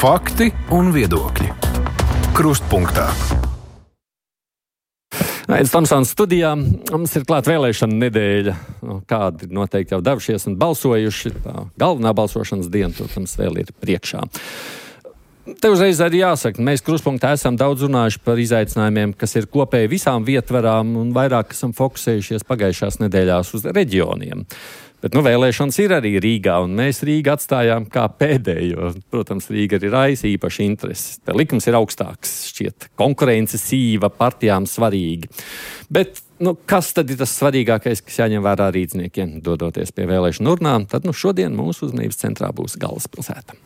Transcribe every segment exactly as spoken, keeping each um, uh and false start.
Fakti un viedokļi. Krustpunktā. Aits Tomsons studijā. Mums ir klāt vēlēšana nedēļa. Kādi noteikti jau devušies un balsojuši. Tā galvenā balsošanas diena, protams, vēl ir priekšā. Te uzreiz arī jāsaka, mēs Krustpunktā esam daudz runājuši par izaicinājumiem, kas ir kopēji visām vietvarām un vairāk esam fokusējušies pagājušās nedēļās uz reģioniem. Bet, nu, vēlēšanas ir arī Rīgā, un mēs Rīgu atstājām kā pēdējo. Protams, Rīga arī raisa īpaši intereses. Te likums ir augstāks, šķiet, konkurence sīva, partijām svarīgi. Bet, nu, kas tad ir tas svarīgākais, kas jāņem vērā rīdzniekiem, dodoties pie vēlēšanu urnām? Tad, nu, šodien mūsu uzmanības centrā būs galvaspilsēta.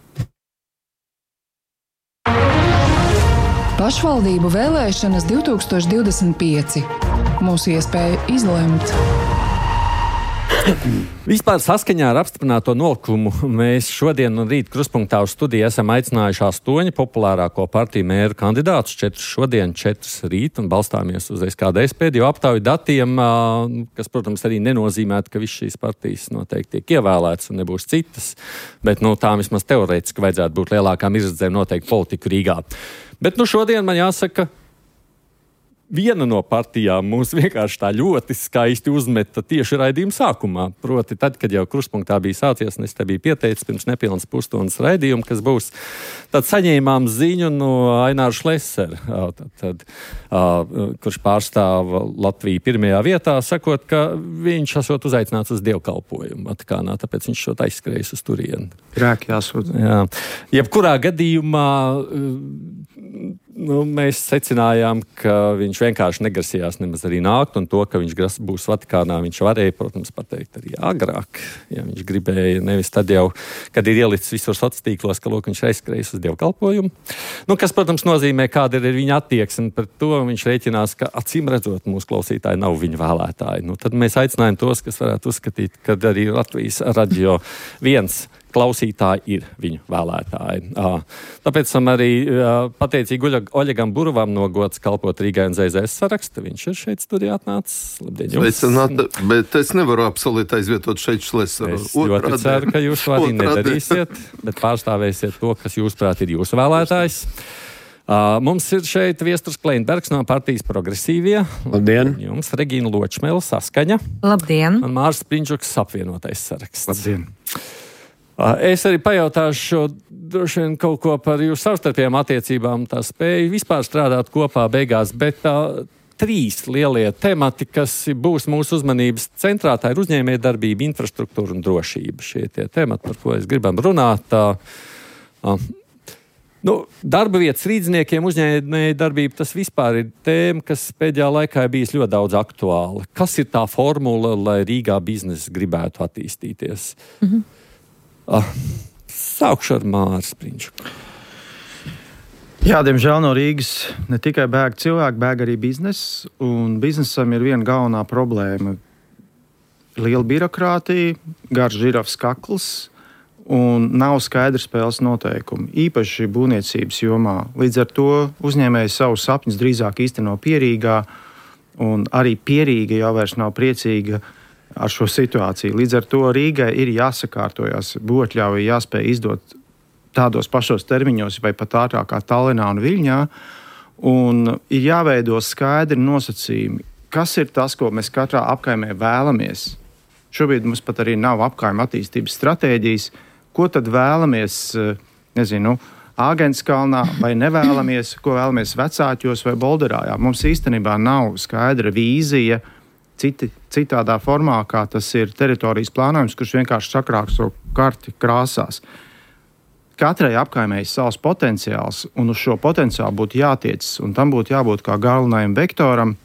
Pašvaldību vēlēšanas divtūkstoš divdesmit pieci. Mūsu iespēja izlemt. Vispār saskaņā ar apstiprināto nolikumu mēs šodien un rīt Krustpunktā uz studiju esam aicinājuši astoņi populārāko partiju mēru kandidātus, četrus šodien, četrus rīt, un balstāmies uz S K D S pēdējo aptauju datiem, kas, protams, arī nenozīmētu, ka visas šīs partijas noteikti tiek ievēlētas un nebūs citas, bet, nu, tām vismaz teorētiski vajadzētu būt lielākām izredzēm noteikti politiku Rīgā. Bet, nu, šodien man jāsaka, viena no partijām mūs vienkārši tā ļoti skaisti uzmeta tieši raidījuma sākumā. Proti, tad, kad jau Krustpunktā bija sācies, un es te biju pieteicis pirms nepilnas pusstundas raidījumu, kas būs, tad saņēmām ziņu no Aināra Šlesera, tad, tad, uh, kurš pārstāv Latviju pirmajā vietā, sakot, ka viņš esot uzaicināts uz dievkalpojumu Vatikānā, tāpēc viņš šot aizskrējis uz turieni. Grēki jāsūdz. Jā. Jebkurā gadījumā nu, mēs secinājām, ka viņš vienkārši negrasījās nemaz arī nākt, un to, ka viņš gras, būs Vatikānā, viņš varēja, protams, pateikt arī agrāk, ja viņš gribēja, nevis tad jau, kad ir ielicis visur sociālos tīklos, ka lūk, viņš aizskrējis uz dievkalpojumu. Nu, kas, protams, nozīmē, kāda ir viņa attieksme pret to, viņš rēķinās, ka acīm redzot mūsu klausītāji nav viņa vēlētāji. Nu, tad mēs aicinājām tos, kas varētu uzskatīt, ka arī Latvijas radio viens klausītāji ir viņu vēlētāji. Tāpēc esam arī pateicīgi Oļegam Burovam no gods kalpot Rīgai un Z Z S saraksta. Viņš ir šeit studijā atnācis. Labdien jums. Sveicināt, bet es nevaru absolūti aizvietot šeit Šleseru. Es ļoti ceru, ka jūs to arī nedarīsiet, bet pārstāvēsiet to, kas jūsuprāt ir jūsu vēlētājs. Uh, mums ir šeit Viesturs Kleinbergs no partijas Progresīvie. Labdien. Jums Regīna Ločmela Saskaņa. Labdien. Un Mārs Prinčuks apvienotais saraksts. Labdien. Es arī pajautāšu droši vien kaut ko par jūsu savstarpējām attiecībām, tā spēju vispār strādāt kopā beigās, bet tā trīs lielie temati, kas būs mūsu uzmanības centrā, tā ir uzņēmējdarbība, infrastruktūra un drošība. Šie tie temati, par ko es gribam runāt. Tā, tā. Nu, darba vietas rīdzniekiem, uzņēmējdarbība, tas vispār ir tēma, kas pēdējā laikā ir bijis ļoti daudz aktuāla. Kas ir tā formula, lai Rīgā biznesa gribētu attīstīties? Mhm. Ah, sākšu ar Māru Prinčuku. Jā, diemžēl no Rīgas ne tikai bēg cilvēki, bēg arī bizness, un biznesam ir viena galvenā problēma. Liela birokrātija, garš žirafs kakls, un nav skaidrs spēles noteikumi, īpaši būvniecības jomā. Līdz ar to uzņēmēji savus sapņus drīzāk īsteno Pierīgā, un arī Pierīga jau vairs nav priecīga ar šo situāciju. Līdz ar to Rīgai ir jāsakārtojas, būvotļauja jāspēj izdot tādos pašos termiņos vai pat ātrāk kā Tallinā un Viļņā, un ir jāveido skaidri nosacījumi, kas ir tas, ko mēs katrā apkaimē vēlamies. Šobrīd mums pat arī nav apkaima attīstības stratēģijas, ko tad vēlamies, nezinu, Āgenskalnā vai nevēlamies, ko vēlamies Vecāķos vai Bolderājā. Mums īstenībā nav skaidra vīzija, Citi, citādā formā, kā tas ir teritorijas plānojums, kurš vienkārši sakrāksto karti krāsās. Katrai apkaimē ir savs potenciāls, un uz šo potenciālu būtu jātiecas, un tam būtu jābūt kā galvenajam vektoram,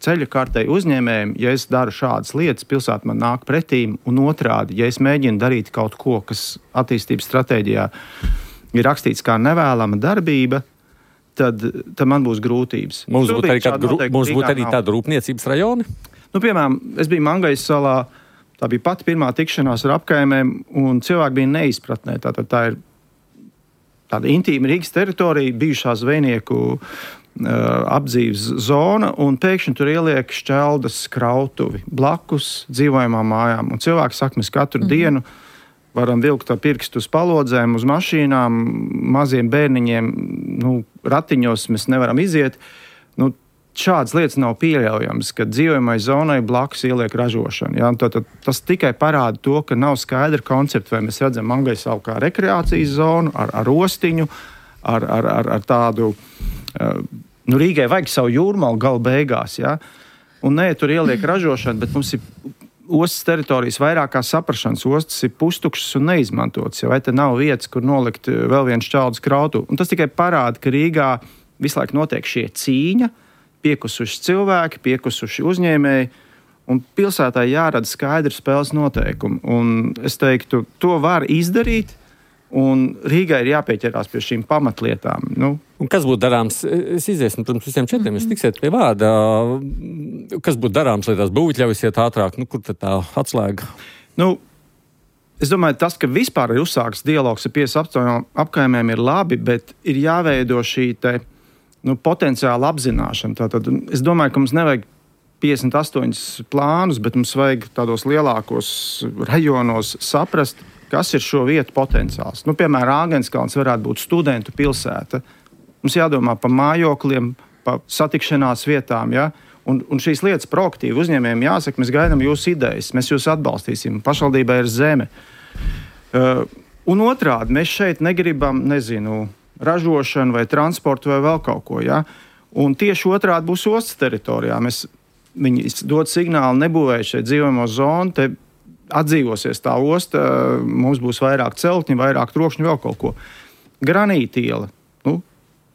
ceļa kartei uzņēmējiem. Ja es daru šādas lietas, pilsēta man nāk pretīm, un otrādi, ja es mēģinu darīt kaut ko, kas attīstības stratēģijā ir rakstīts kā nevēlama darbība, tad, tad man būs grūtības. Mums būtu arī, grū, mums būt arī tāda rūpniecības rajoni? Nu, piemēram, es biju Mangajas salā, tā bija pati pirmā tikšanās ar apkaimēm, un cilvēki bija neizpratnē. Tātad tā ir tāda intīma Rīgas teritorija, bijušā zvejnieku uh, apdzīves zona, un pēkšņi tur ieliek šķeldas krautuvi blakus dzīvojamām mājām. Un cilvēki saka, mēs katru mm. dienu varam vilkt ar pirkstu uz palodzēm, uz mašīnām, maziem bērniņiem, nu, ratiņos mēs nevaram iziet. Nu, šādas lietas nav pieļaujams, ka dzīvojamai zonai blakus ieliek ražošanu. Ja? Tad, tad, tas tikai parāda to, ka nav skaidra koncepta, vai mēs redzam Angļu kā rekreācijas zonu ar, ar ostiņu, ar, ar, ar, ar tādu, uh, nu Rīgai vajag savu jūrmalu gala beigās, ja? Un nē, tur ieliek ražošanu, bet mums ir ostas teritorijas vairāk kā saprašanas. Ostas ir pustukšas un neizmantotas, ja? Vai te nav vietas, kur nolikt vēl viens šķeldus krautu. Un tas tikai parāda, ka Rīgā visu laiku notiek šie cīņa, piekusuši cilvēki, piekusuši uzņēmēji, un pilsētā jārada skaidri spēles noteikumi. Un es teiktu, to var izdarīt, un Rīgai ir jāpieķerās pie šīm pamatlietām. Nu. Un kas būtu darāms? Es iziesim pirms visiem četriem, es tiksiet pie vārda. Kas būtu darāms, lai tās būvļaujas iet ātrāk? Nu, kur tad tā atslēga? Nu, es domāju, tas, ka vispār ir uzsāks dialogs ar piecas apkaimēm ir labi, bet ir jāveido šī te nu, potenciāla apzināšana. Tātad, es domāju, ka mums nevajag piecdesmit astoņus plānus, bet mums vajag tādos lielākos rajonos saprast, kas ir šo vietu potenciāls. Nu, piemēram, Āgenskalns varētu būt studentu pilsēta. Mums jādomā par mājokļiem, par satikšanās vietām, ja? un, un šīs lietas proaktīvi uzņēmējiem jāsaka, mēs gaidām jūsu idejas, mēs jūs atbalstīsim, pašvaldībai ir zeme. Uh, un otrādi, mēs šeit negribam, nezinu, ražošanu vai transportu vai vēl kaut ko, ja? Un tieši otrādi būs ostas teritorijā. Mēs, viņi dod signālu, nebūvēja šeit dzīvojamo zonu, te atdzīvosies tā osta, mums būs vairāk celtņu, vairāk trokšņu, vēl kaut ko. Granītiela, nu,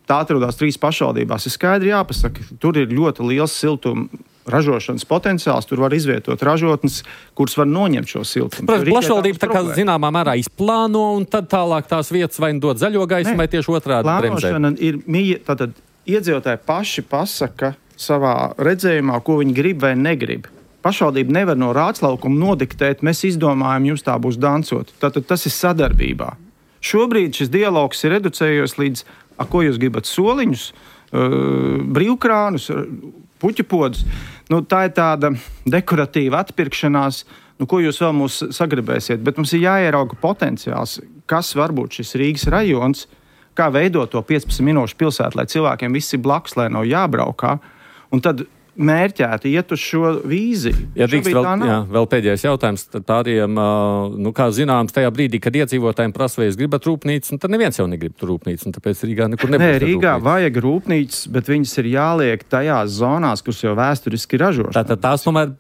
tā atrodas trīs pašvaldībās, ir skaidri jāpasaka, tur ir ļoti liels siltuma ražošanas potenciāls, tur var izvietot ražotnes, kuras var noņemt šo siltumu. Pašvaldība tā kā zināmā mērā izplāno, un tad tālāk tās vietas vai dod zaļo gaisu, vai tieši otrādi bremzē. Plānošana ir mīja, tātad iedzīvotāji paši pasaka savā redzējumā, ko viņi grib vai negrib. Pašvaldība nevar no rātslaukuma nodiktēt, mēs izdomājam, jums tā būs dancot. Tātad tas ir sadarbībā. Šobrīd šis dialogs ir reducējies līdz, a, ko jūs gribat, soliņus, uh, brīvkrānus, puķu podus. Nu, tā ir tāda dekoratīva atpirkšanās, nu, ko jūs vēl mūs sagribēsiet. Bet mums ir jāierauga potenciāls, kas var būt šis Rīgas rajons, kā veidot to piecpadsmit minūšu pilsētu, lai cilvēkiem viss ir blakus, lai nav jābraukā. Un tad mērķēti iet uz šo vīziju. Ja drīkst vēl, jā, vēl pēdējais jautājums tādiem, nu, kā zināms, tajā brīdī, kad iedzīvotājiem prasa, vai es gribat rūpnīcu, un tad neviens jau negrib tur rūpnīcu, un tāpēc Rīgā nekur nebūs. Nē, Rīgā vajag rūpnīcas, bet viņas ir jāliek tajās zonās, kuras jau vēsturiski ražošana. Tātad tās tomēr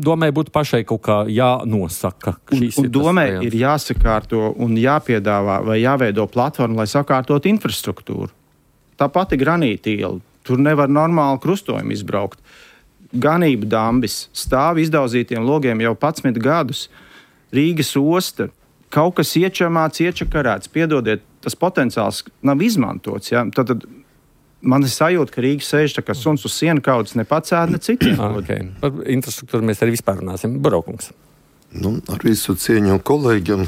domai būtu pašai kaut kā jānosaka. Un, un domai ir jāsakārto un jāpiedāvā vai jāveido platforma, lai sakārtot infrastruktūru. Tā pati granītiela. Tur nevar normāli krustojumu izbraukt. Ganību dambis stāv izdauzītiem logiem jau padsmit gadus. Rīgas osta, kaut kas iečamāts, iečakarēts, piedodiet, tas potenciāls nav izmantots. Ja? Tad, tad man ir sajūta, ka Rīga sēž tā kā suns uz sienu kaudzes, ne pats ēd, ne citiem. Okay. Par infrastruktūru mēs arī vispār runāsim. Barokungs. Nu, ar visu cieņu kolēģiem,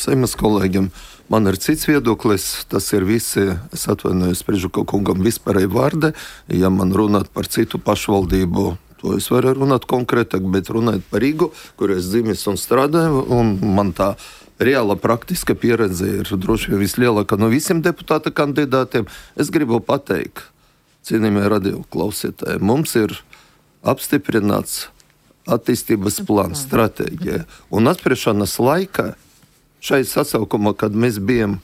Seimas kolēģiem, man ir cits viedoklis, tas ir visi, es atvainojos Prižuka kungam vispārēji vārdi, ja man runāt par citu pašvaldību, to es varu runāt konkrētāk, bet runāt par Rīgu, kur es dzimis un strādāju, un man tā reāla praktiska pieredze ir droši vien vislielākā no visiem deputāta kandidātiem. Es gribu pateikt, cienījamie radio klausītāji, mums ir apstiprināts attīstības plāns, stratēģija, un apspriešanas laikā šai sasaukumā, kad mēs bijām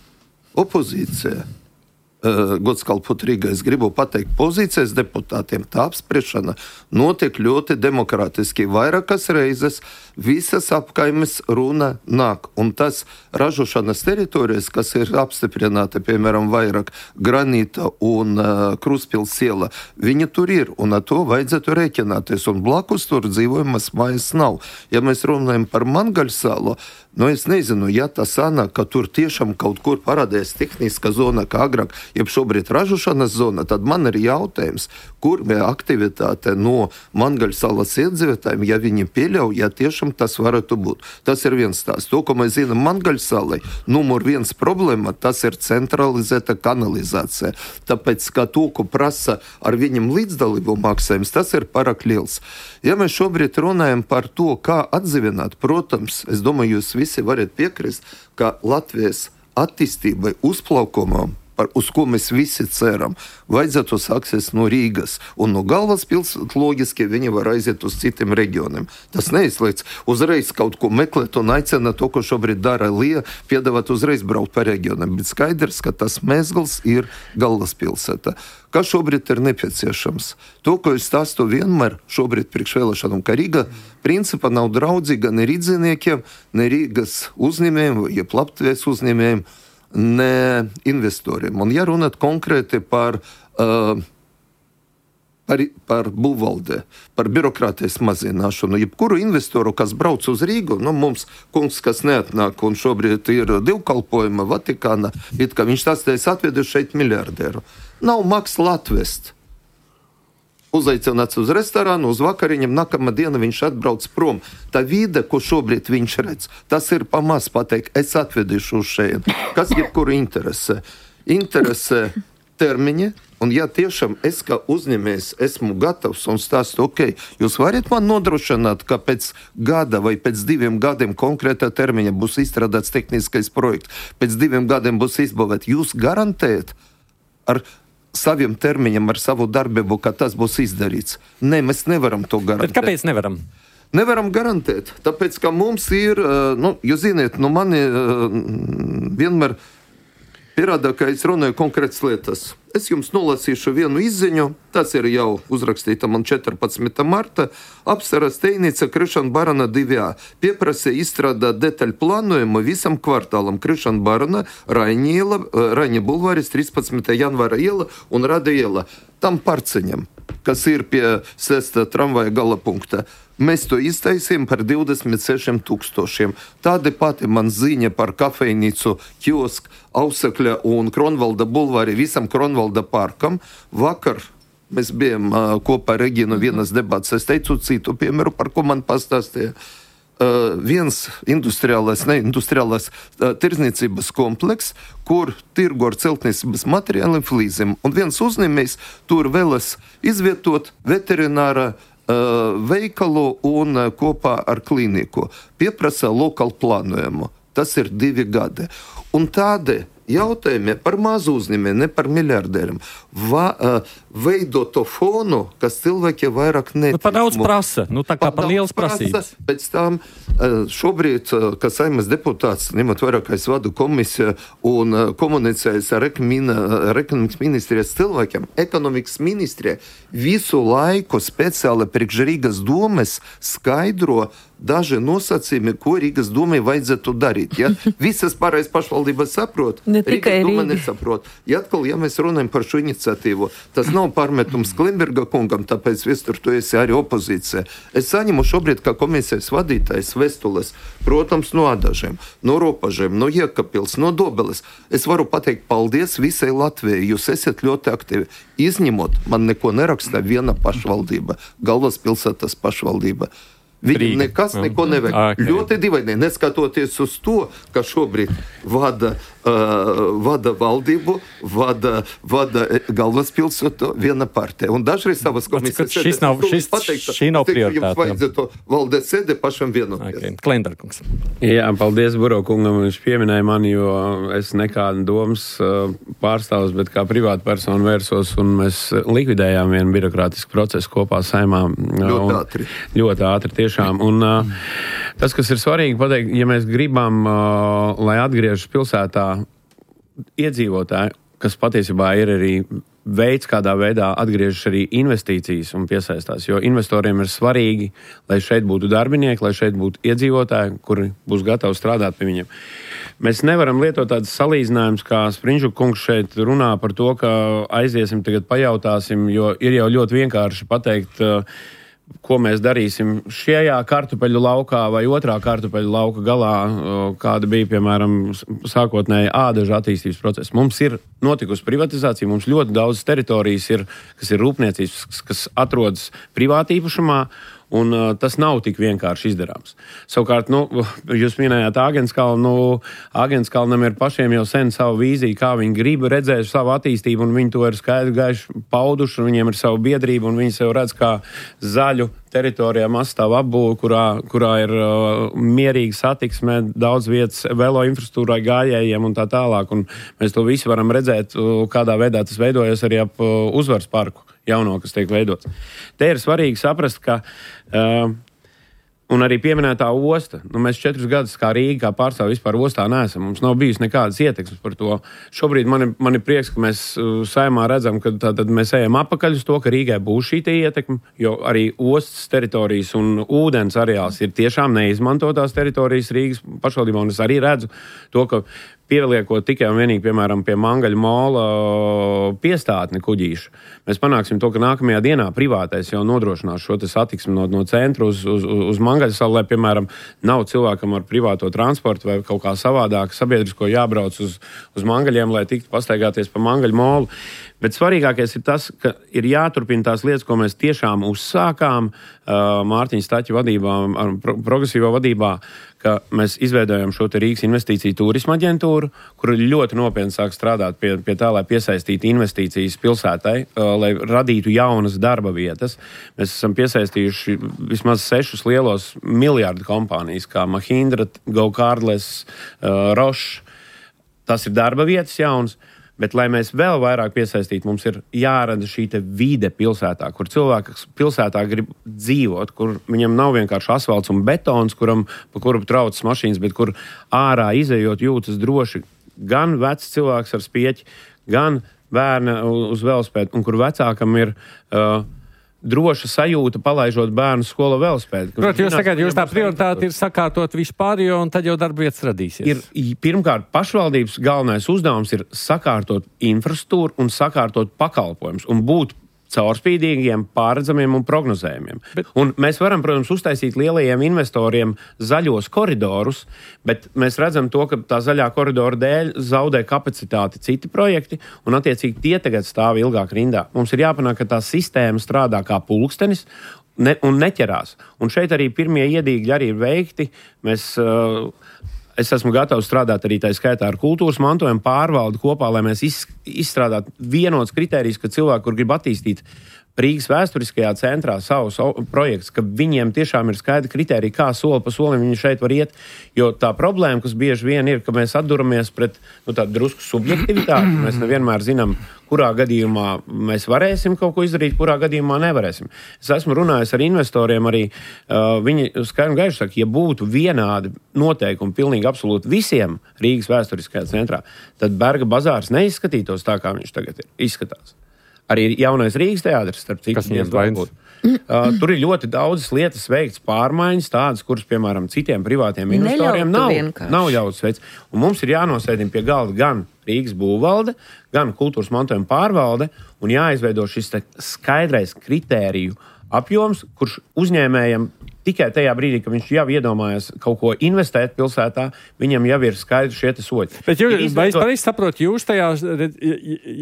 opozīcijā, uh, gods kalpot Rīgā, es gribu pateikt pozīcijas deputātiem, tā apspriešana notiek ļoti demokrātiski. Vairākas reizes visas apkaimes runa nāk, un tas ražošanas teritorijas, kas ir apstiprināti, piemēram, vairāk granīta un uh, Kruspils iela, viņi tur ir, un ar to vajadzētu rēķināties, un blakus tur dzīvojamas mājas nav. Ja mēs runājam par Mangaļsalu, nu es nezinu, ja tas sanāk, ka tur tiešām kaut kur parādījās tehniska zona, kā agrāk jeb šobrīd ražošanas zona, tad man ir jautājums, kur bija aktivitāte no Mangaļu salas iedzīvotājiem, ja viņi pieļauj, ja tiešām tas varētu būt. Tas ir viens tās. To, ko mēs zinām Mangaļu salai, numur viens problēma, tas ir centralizēta kanalizācija. Tāpēc, ka to, ko prasa ar viņam līdzdalību maksājums, tas ir pārāk liels. Ja mēs šobrīd runājam par to, kā atdzīvināt, protams, es domāju, jūs visi varat piekrist, ka Latvijas attīstībai, uzplaukumam, par, uz ko mēs visi ceram, vajadzētu sāksies no Rīgas. Un no galvaspilsētas loģiski viņi var aiziet uz citiem reģioniem. Tas neizliedz uzreiz kaut ko meklēt un aicina to, ko šobrīd dara Lija, piedāvāt uzreiz braukt pa reģioniem. Bet skaidrs, ka tas mezgls ir galvaspilsēta. Kas šobrīd ir nepieciešams? To, ko es stāstu vienmēr šobrīd priekšvēlēšanām, ka Rīga principā nav draudzīga ne rīdziniekiem, ne Rīgas uzņēmējiem, ja Latvijas uzņēmējiem, ne investoriem. Un ja runāt konkrēti par, uh, par, par būvvaldē, par birokrātijas mazināšanu, jebkuru investoru, kas brauc uz Rīgu, nu mums kungs, kas neatnāk un šobrīd ir divkalpojuma Vatikāna, it kā viņš tās atvedu šeit miljardēru. Nav maks Latvest. Uzaicināts uz restorānu, uz vakariņam, nākamā diena viņš atbrauc prom. Tā vide, ko šobrīd viņš redz, tas ir pamaz pateikt, es atvedīšu uz šeit. Kas jebkuru interesē? Interesē termiņi, un ja tiešām es kā uzņēmējs esmu gatavs un stāstu, ok, jūs varat man nodrošināt, ka pēc gada vai pēc diviem gadiem konkrētā termiņa būs izstrādāts tehniskais projekts, pēc diviem gadiem būs izbūvēt, jūs garantējat ar saviem termiņiem, ar savu darbību, ka tas būs izdarīts. Nē, mēs nevaram to garantēt. Bet kāpēc nevaram? Nevaram garantēt, tāpēc, ka mums ir, nu, jūs ziniet, nu mani vienmēr pierāda, ka es runāju konkrētas lietas. Es jums nolasīšu vienu izziņu, tas ir jau uzrakstīta man četrpadsmitā marta, apsaras Teinica Krišana Barana divi A. Pieprasīja izstrādāt detaļu plānojumu visam kvartālam Krišana Barana, Raņa bulvāris, trīspadsmitā janvāra iela un Rada iela. Tam parceņam, kas ir pie sestā tramvaja gala punkta. Mēs to iztaisījām par divdesmit sešiem tūkstošiem. Tāda pati man ziņa par kafejnīcu, kiosku, Ausakļa un Kronvalda bulvāri visam Kronvalda parkam. Vakar mēs bijām uh, kopā ar Reginu vienas debats. Es teicu citu piemēru, par ko man pastāstīja. Uh, viens industriālais, ne industriālais uh, tirzniecības kompleks, kur tirgo ar celtniecības materiāliem flīzēm. Un viens uzņēmējs tur vēlas izvietot veterināra veikalu un kopā ar klīniku. Pieprasa lokālu plānojumu. Tas ir divi gadi. Un tādi jautājumi par mazu uzņēmēju, ne par miljardieriem, va, uh, veido to fonu, kas cilvēki vairāk netic. Nu, par daudz prasa, nu tā kā par, par liels prasības. Pēc tam uh, šobrīd, uh, kā Saeimas deputāts, ņemot vairāk, es vadu komisiju un uh, komunicējas ar ekonomikas ministrijas cilvēkiem, ekonomikas ministrija visu laiku speciāli priekš Rīgas domes skaidro daži nosacījumi, ko Rīgas domai vajadzētu darīt. Ja? Visas pārējais pašvaldības saprot, Rīgas doma nesaprot. Ja atkal, ja mēs runājam par šo iniciatīvu, tas nav pārmetums Klimberga kungam, tāpēc Viestur, tu esi arī opozīcija. Es saņemu šobrīd kā komisijas vadītājs vēstules, protams, no Adažiem, no Ropažiem, no Iekapils, no Dobeles. Es varu pateikt paldies visai Latvijai, jūs esat ļoti aktīvi. Izņemot, man neko nerakstā viena pašvaldība, galvaspilsētas pašvaldība. Viņam nekas neko nevajag. Okay. Ļoti divaini, neskatoties uz to, ka šobrīd vada, uh, vada valdību, vada, vada galvaspilsētu viena partija. Un dažreiz savas komisijas šis nav, šis, pateikt, šī nav prioritāte. Jums vajadzētu valdēt sēdē pašam vienoties. Okay. Klendarkungs. Jā, paldies Burokungam, viņš pieminēja mani, jo es nekādu domas pārstāvs, bet kā privāta persona vērsos, un mēs likvidējām vienu birokrātisku procesu kopā Saeimā. Ļoti ātri. Ļoti ātri, tieši. Un, uh, tas, kas ir svarīgi pateikt, ja mēs gribam, uh, lai atgriežas pilsētā iedzīvotāji, kas patiesībā ir arī veids, kādā veidā atgriežas arī investīcijas un piesaistās, jo investoriem ir svarīgi, lai šeit būtu darbinieki, lai šeit būtu iedzīvotāji, kuri būs gatavi strādāt pie viņiem. Mēs nevaram lietot tādas salīdzinājumus, kā Sprinžu kungs šeit runā par to, ka aiziesim, tagad pajautāsim, jo ir jau ļoti vienkārši pateikt, uh, ko mēs darīsim šajā kartupeļu laukā vai otrā kartupeļu lauka galā, kāda bija, piemēram, sākotnēji ādažu attīstības process. Mums ir notikusi privatizācija, mums ļoti daudz teritorijas ir, kas ir rūpniecības, kas atrodas privātīpašumā, un uh, tas nav tik vienkārši izdarāms. Savukārt, nu, jūs minējāt Āgenskalnu, nu, Āgenskalnam ir pašiem jau sen savu vīziju, kā viņi grib redzēt savu attīstību, un viņi to ir skaidri gaiši pauduši, un viņiem ir savu biedrību, un viņi sev redz kā zaļu teritorijā mastāvu apbūvi, kurā, kurā ir uh, mierīga satiksme, daudz vietas velo infrastruktūrai, gājējiem un tā tālāk, un mēs to visu varam redzēt, uh, kādā veidā tas veidojas arī ap uh, Uzvaras parku jauno, kas tiek veidots. Te ir svarīgi saprast, ka uh, un arī pieminētā osta. Nu, mēs četrus gadus kā Rīga, kā pārstāvi vispār ostā neesam. Mums nav bijis nekādas ietekmes par to. Šobrīd man ir, man ir prieks, ka mēs uh, Saeimā redzam, ka tātad mēs ejam apakaļ uz to, ka Rīgai būs šī ietekme, jo arī ostas teritorijas un ūdens areāls ir tiešām neizmantotās teritorijas Rīgas pašvaldībā, un es arī redzu to, ka pieliekot tikai un vienīgi, piemēram, pie Mangaļa mola piestātni kuģīšu, mēs panāksim to, ka nākamajā dienā privātais jau nodrošinās šo te satiksmi no, no centra uz, uz, uz Mangaļa salu, lai, piemēram, nav cilvēkam ar privāto transportu vai kaut kā savādāk sabiedrisko jābrauc uz, uz Mangaļiem, lai tiktu pastaigāties pa Mangaļa molu. Bet svarīgākais ir tas, ka ir jāturpina tās lietas, ko mēs tiešām uzsākām uh, Mārtiņa Staķa vadībā, pro, progresīvā vadībā, ka mēs izveidojam šo te Rīgas investīciju turisma aģentūru, kur ļoti nopietni sāk strādāt pie, pie tā, lai piesaistītu investīcijas pilsētai, uh, lai radītu jaunas darba vietas. Mēs esam piesaistījuši vismaz sešus lielos miljardu kompānijas, kā Mahindra, Go Cardless, uh, Roche. Tas ir darba vietas jauns. Bet, lai mēs vēl vairāk piesaistītu, mums ir jārada šī te vide pilsētā, kur cilvēks pilsētā grib dzīvot, kur viņam nav vienkārši asfalts un betons, kuram, pa kuru traucas mašīnas, bet kur ārā izejot jūtas droši gan vecs cilvēks ar spieķi, gan bērni uz velospēdu, un kur vecākam ir uh, droša sajūta, palaižot bērnu skolu velospēdu. Protams, jūs tagad, jūs tā prioritāte ir sakārtot vispārējo, un tad jau darba vietas radīsies. Ir, pirmkārt, pašvaldības galvenais uzdevums ir sakārtot infrastruktūru un sakārtot pakalpojumus un būt caurspīdīgiem, pārredzamiem un prognozējumiem. Bet... Un mēs varam, protams, uztaisīt lielajiem investoriem zaļos koridorus, bet mēs redzam to, ka tā zaļā koridora dēļ zaudē kapacitāti citi projekti, un attiecīgi tie tagad stāv ilgāk rindā. Mums ir jāpanāk, ka tā sistēma strādā kā pulkstenis ne, un neķerās. Un šeit arī pirmie iedīgļi arī ir veikti. Mēs... Uh, Es esmu gatavs strādāt arī tā skaitā ar kultūras mantojumu pārvaldu kopā, lai mēs izstrādātu vienots kritērijs, ka cilvēki, kur grib attīstīt Rīgas vēsturiskajā centrā savus projektus, ka viņiem tiešām ir skaidri kritēriji, kā soli pa solim viņi šeit var iet. Jo tā problēma, kas bieži vien ir, ka mēs atduramies pret nu, tādu drusku subjektivitāti. Mēs nevienmēr zinām, kurā gadījumā mēs varēsim kaut ko izdarīt, kurā gadījumā nevarēsim. Es esmu runājis ar investoriem arī. Uh, viņi skaidri un gaiši saka, ja būtu vienādi noteikumi pilnīgi absolūti visiem Rīgas vēsturiskajā centrā, tad Berga bazārs neizskatītos tā, kā viņš tagad ir, izskatās. Arī jaunais Rīgas teātris, starp citu, viņiem vajag. Uh, tur ir ļoti daudzas lietas veikts pārmaiņas, tādas, kuras, piemēram, citiem privātiem investoriem nav, nav ļauts veids. Un mums ir jānosēdina pie galda gan Rīgas būvvalde, gan kultūras mantojuma pārvalde, un jāizveido šis skaidrais kritēriju apjoms, kurš uzņēmējam tikai tajā brīdī, ka viņš jau iedomājas kaut ko investēt pilsētā, viņam jau ir skaidri šie te soļi. Bet jūs, izveidot... vai es pareizi saprotu, jūs tajā,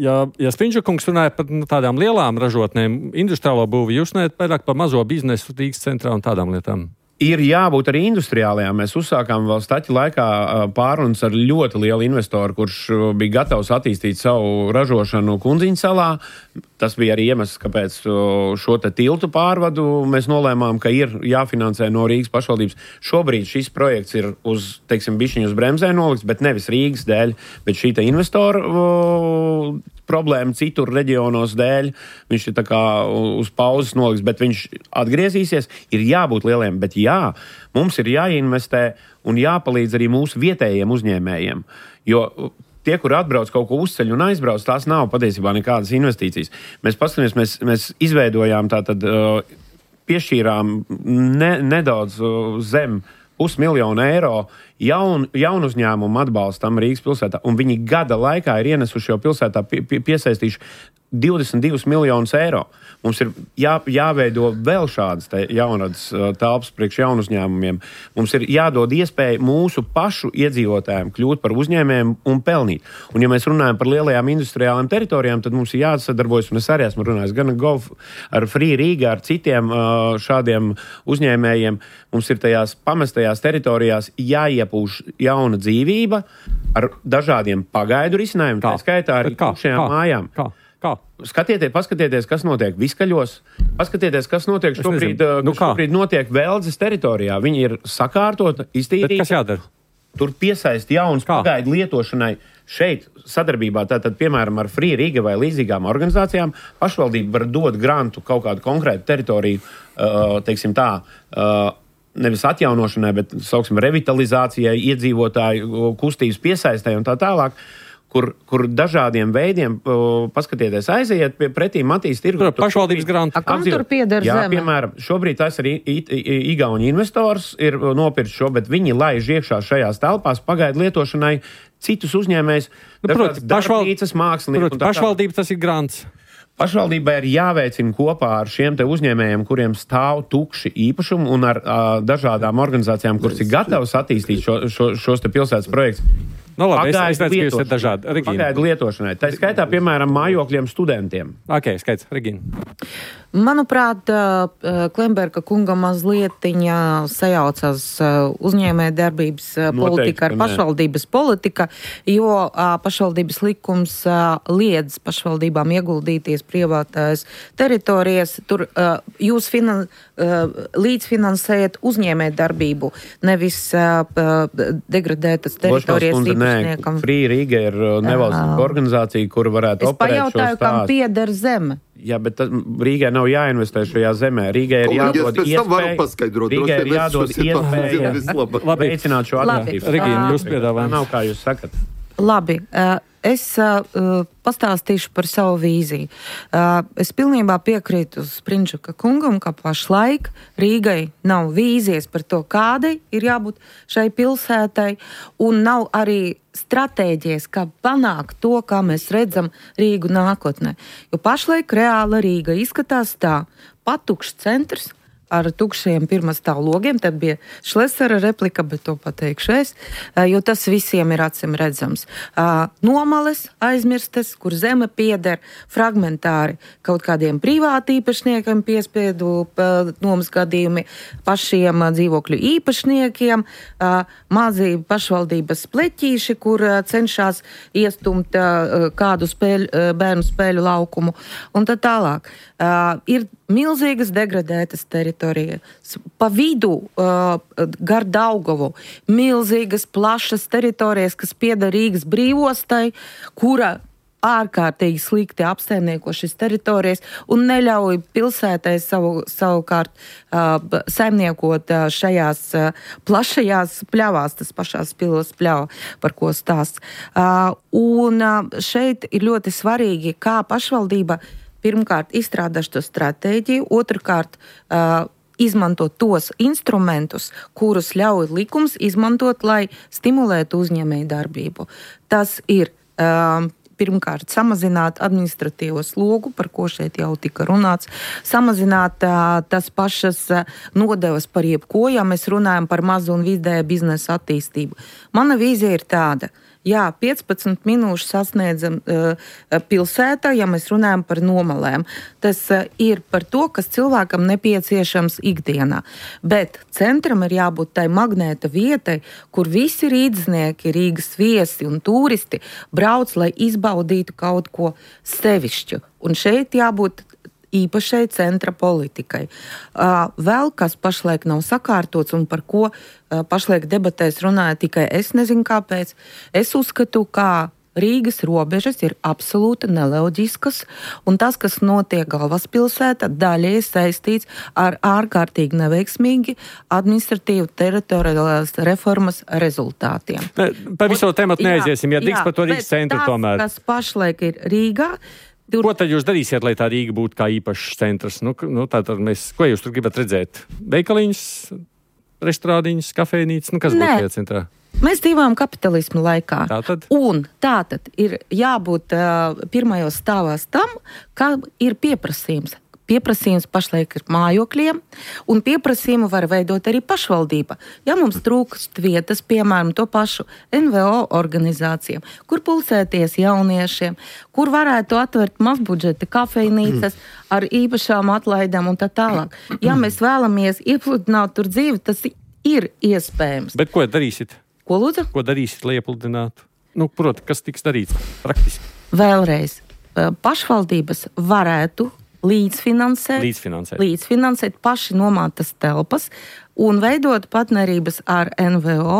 ja, ja Spindžakungs runāja par nu, tādām lielām ražotnēm, industriālo būvi, jūs runājat vairāk par mazo biznesu Rīgas centrā un tādām lietām? Ir jābūt arī industriālajām. Mēs uzsākām vēl Staķa laikā pārunas ar ļoti lielu investoru, kurš bija gatavs attīstīt savu ražošanu Kundziņu salā. Tas bija arī iemesls, kāpēc šo te tiltu pārvadu mēs nolēmām, ka ir jāfinansē no Rīgas pašvaldības. Šobrīd šis projekts ir uz, teiksim, bišķiņu uz bremzē nolikts, bet nevis Rīgas dēļ, bet šī te investoru problēma citur reģionos dēļ. Viņš ir tā kā uz pauzes noliks, bet viņš atgriezīsies. Ir jābūt lieliem, bet jā, mums ir jāinvestē un jāpalīdz arī mūsu vietējiem uzņēmējiem. Jo tie, kur atbrauc kaut ko uzceļ un aizbrauc, tās nav patiesībā nekādas investīcijas. Mēs paskatāmies, mēs, mēs izveidojām tātad, piešķīrām ne, nedaudz zem pusmiljonu eiro jaun, jaunu uzņēmumu atbalstam Rīgas pilsētā, un viņi gada laikā ir ienesuši jau pilsētā pie, pie, piesaistījuši divdesmit divus miljonus eiro. Mums ir jā, jāveido vēl šādas jaunadas telpas priekš jaunu uzņēmumiem. Mums ir jādod iespēja mūsu pašu iedzīvotājiem kļūt par uzņēmējiem un pelnīt. Un ja mēs runājam par lielajām industriālām teritorijām, tad mums ir jāsadarbojas, un es arī esmu runājis gan Gov ar Free Riga, ar citiem šādiem uzņēmējiem. Mums ir tajās pamestajās teritorijās jāiepūš jauna dzīvība ar dažādiem pagaidu risinājumiem, tā skaitā arī tukšajām mājām. Kā? Kā? Skatieties, paskatieties, kas notiek Viskaļos. Paskatieties, kas notiek šobrīd, nu, šobrīd notiek Veldzes teritorijā. Viņi ir sakārtota, iztīrīta. Bet kas jādara? Tur piesaist jaunas pagaidu lietošanai. Šeit sadarbībā, tātad, piemēram, ar Free Riga vai līdzīgām organizācijām, pašvaldība var dot grantu kaut kādu konkrētu teritoriju, teiksim tā, nevis atjaunošanai, bet, sauksim, revitalizācijai, iedzīvotāju kustības piesaistai un tā tālāk. Kur, kur dažādiem veidiem, uh, paskatieties, aiziet pie pretīm attīst tirgu. Pašvaldības grantu. Kam tur pieder jā, zeme? Piemēram, šobrīd tas ir Igauņu investors, ir nopirkt šo, bet viņi laiž iekšā šajās telpās pagaidu lietošanai citus uzņēmējus, nu, dažādas darbnīcas, mākslinieki. Pašvaldība tas ir grants. Pašvaldībai ir jāveicina kopā ar šiem te uzņēmējiem, kuriem stāv tukši īpašumi un ar uh, dažādām organizācijām, kuras ir gatavas attīstīt šo, šo, šos te pilsētas projektus. No labi, es, es redzu, ka jūs esat dažādi. Regīna. Pagaidu lietošanai. Tā skaitā, piemēram, mājokļiem studentiem. Ok, skaits. Regīna. Manuprāt, Klemberga kunga mazlietiņa sajaucas uzņēmē darbības politika ar pašvaldības politika, jo pašvaldības likums liedz pašvaldībām ieguldīties privātās teritorijas. Tur jūs finan, līdzfinansējat uzņēmē darbību, nevis degradētas teritorijas īpašniekam. Free Riga ir nevalstīga organizācija, kura varētu es operēt šo stāstu. Es pajautāju, kam pieder zeme. Jā, bet Rīgai nav jāinvestē šajā zemē. Rīgai ir jādod iespēju, Rīgai ir jādod iespēju veicināt šo attīstību. Regīna, jūs piedāvājat. Nav, kā jūs sakat. Labi, es pastāstīšu par savu vīziju. Es pilnībā piekrītu Sprindžuka kungam, ka pašlaik Rīgai nav vīzijas par to, kādai ir jābūt šai pilsētai, un nav arī stratēģijas, kā panākt to, kā mēs redzam Rīgu nākotnē. Jo pašlaik reāla Rīga izskatās tā, patukšs centrs ar tukšiem pirmastāv logiem, tad bija Šlesera replika, bet to pateikšu es, jo tas visiem ir acim redzams. Nomales aizmirstas, kur zeme pieder fragmentāri kaut kādiem privāti īpašniekiem, piespiedu nomas gadījumi pašiem dzīvokļu īpašniekiem, mazi pašvaldības pleķīši, kur cenšas iestumt kādu spēļu, bērnu spēļu laukumu un tā tālāk. Ir milzīgas degradētas teritorijas. Pa vidu uh, gar Daugavu milzīgas plašas teritorijas, kas pieder Rīgas brīvostai, kura ārkārtīgi slikti apsaimnieko šīs teritorijas un neļauj pilsētai savu, savukārt uh, saimniekot uh, šajās uh, plašajās pļavās, tas pašās pilos pļava, par ko stāsts. Uh, un uh, šeit ir ļoti svarīgi, kā pašvaldība pirmkārt izstrādā šo stratēģiju, otrkārt uh, izmantot tos instrumentus, kurus ļauj likums izmantot, lai stimulētu uzņēmēju darbību. Tas ir uh, pirmkārt samazināt administratīvo slogu, par ko šeit jau tika runāts, samazināt uh, tas pašas uh, nodevas par jebko, ja mēs runājam par mazu un vidēju biznesa attīstību. Mana vīzija ir tāda. Jā, piecpadsmit minūšu sasniedzam uh, pilsētā, ja mēs runājam par nomalēm. Tas uh, ir par to, kas cilvēkam nepieciešams ikdienā. Bet centram ir jābūt tai magnēta vietai, kur visi rīdznieki, Rīgas viesi un turisti brauc, lai izbaudītu kaut ko sevišķu. Un šeit jābūt īpašai centra politikai. Uh, vēl kas pašlaik nav sakārtots un par ko uh, pašlaik debatēs runāja tikai es nezinu kāpēc. Es uzskatu, ka Rīgas robežas ir absolūti neloģiskas, un tas, kas notiek galvaspilsētā, daļēji saistīts ar ārkārtīgi neveiksmīgi administratīvu teritoriālās reformas rezultātiem. Pa visu tēmatu neaiziesim, ja drīkst par to Rīgas centru tomēr. Tas, kas pašlaik ir Rīgā, Tur... Ko tad jūs darīsiet, lai tā Rīga būtu kā īpašs centrs? Nu, nu, tā tad mēs, ko jūs tur gribat redzēt? Veikaliņus? restorāniņas, kafejnīcas, nu kas Nē. būtu centrā? Mēs dzīvojam kapitalismu laikā. Tātad? Un tātad ir jābūt uh, pirmajos stāvās tam, ka ir pieprasījums. Pieprasījums pašlaik ir mājokļiem, un pieprasījumu var veidot arī pašvaldība. Ja mums trūkst vietas, piemēram, to pašu N V O organizācijām, kur pulsēties jauniešiem, kur varētu atvērt mazbudžeta kafejnīcas ar īpašām atlaidām un tā tālāk. Ja mēs vēlamies iepludināt tur dzīvi, tas ir iespējams. Bet ko darīsit? Ko lūdzu? Ko darīsit, lai iepludinātu? Nu, proti, kas tiks darīts praktiski? Vēlreiz, pašvaldības varētu līdzfinansēt, Līdzfinansēt. līdzfinansēt paši nomātas telpas un veidot partnerības ar N V O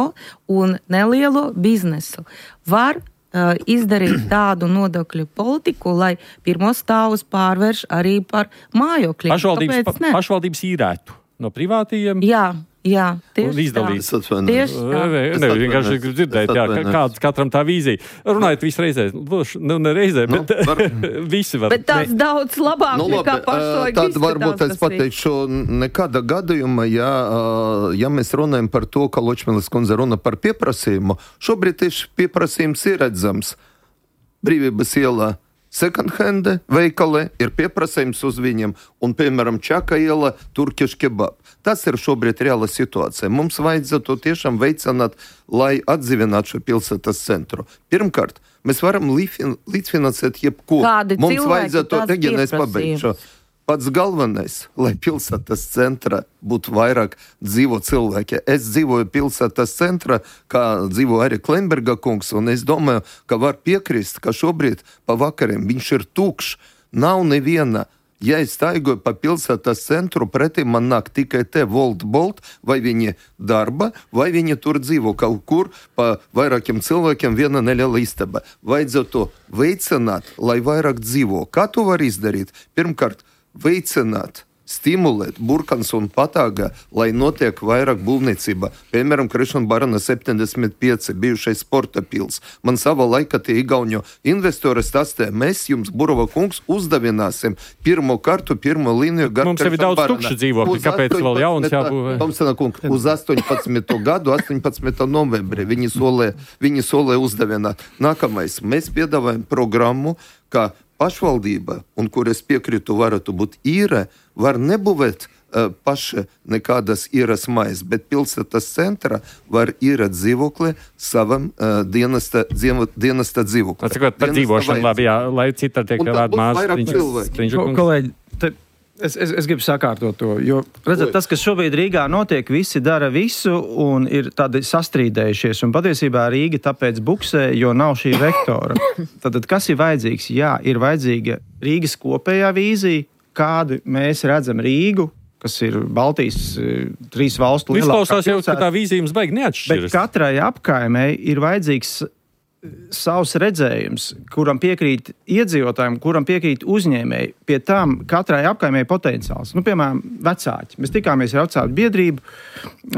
un nelielu biznesu. Var uh, izdarīt tādu nodokļu politiku, lai pirmos stāvus pārvērš arī par mājokļiem. Pašvaldības, Kāpēc ne? pašvaldības īrētu no privātījiem. Jā, jā, tieši Izdalīt. tā. Tieši tā. Ne, ne, vienkārši gribu dzirdēt, jā, kāds katram tā vīzija. Runājot visu reizē, nu ne reizē, Nu, bet var- visi var. Bet tāds daudz labāk Nu, nekā labi, pašlaik tad izskatās varbūt es tas viss. pateikšu, nekāda gadījuma, ja, ja mēs runājam par to, ka Ločmelis kundze runa par pieprasījumu, šobrīd tieši pieprasījums ir redzams. Brīvības ielā second hand veikali ir pieprasījums uz viņiem, un, piemēram, Čaka iela turkiš kebab. Tas ir šobrīd reāla situācija. Mums vajadzētu tiešām veicināt, lai atdzīvinātu šo pilsētas centru. Pirmkārt, mēs varam līdzfinansēt jebko. Kādi Mums cilvēki, vajadzētu, tāds Regina, es pieprasījums. pabeigšu. Pats galvenais, lai pilsētas centrā būtu vairāk dzīvo cilvēki. Es dzīvoju pilsētas centrā, kā dzīvo arī Klemberga kungs, un es domāju, ka var piekrist, ka šobrīd pa vakariem viņš ir tukšs. Nav neviena. Ja es staigoju pa pilsētas centru, pretī man nāk tikai te Volt Bolt, vai viņi darba, vai viņi tur dzīvo kaut kur, pa vairākiem cilvēkiem viena neliela istaba. Vajadzētu veicināt, lai vairāk dzīvo. Kā to var izdarīt? Pirmkārt, veicināt, stimulēt Burkans un Patāga, lai notiek vairāk būvniecība. Piemēram, Krišana Barana septiņdesmit pieci, bijušais sporta pils. Man savā laikā tie igauņu investori stāstīja, mēs jums, Burova kungs, uzdevināsim pirmo kartu, pirmo līniju. Mums jau ir daudz tukšu dzīvokļu, kāpēc vēl jauns jābūvē? Tomsena kungs, uz astoņpadsmito gadu, astoņpadsmito novembrī viņi solē, viņi solē uzdevināt. Nākamais, mēs piedāvājam programmu, ka pašvaldība, un kur es piekrītu, varētu būt īre, var nebūvēt uh, paši nekādas īres mājas, bet pilsētas centra var īrēt dzīvokli savam uh, dienesta, dzīvo, dienesta dzīvokli. Atcakot par dzīvošanu, labi, jā, lai cita tiek Un tad vērt būs mājas. vairāk Viņš- cilvēku. Viņš- Ko, kolēģi, te, es, es, es gribu sakārtot to, jo redzat, tas, kas šobrīd Rīgā notiek, visi dara visu un ir tādi sastrīdējušies. Un patiesībā Rīga tāpēc buksē, jo nav šī vektora. Tad, tad kas ir vajadzīgs? Jā, ir vajadzīga Rīgas kopējā vīzija, kādu mēs redzam Rīgu, kas ir Baltijas eh, trīs valstu lielākā Izklausās jau, ka pilsēta. tā vīzija jums baigi Bet neatšķiras. katrai apkaimei ir vajadzīgs savs redzējums, kuram piekrīt iedzīvotājiem, kuram piekrīt uzņēmēji. Pie tām katrai apkaimei potenciāls. Nu, piemēram, vecāki. Mēs tikāmies ar vecāku biedrību,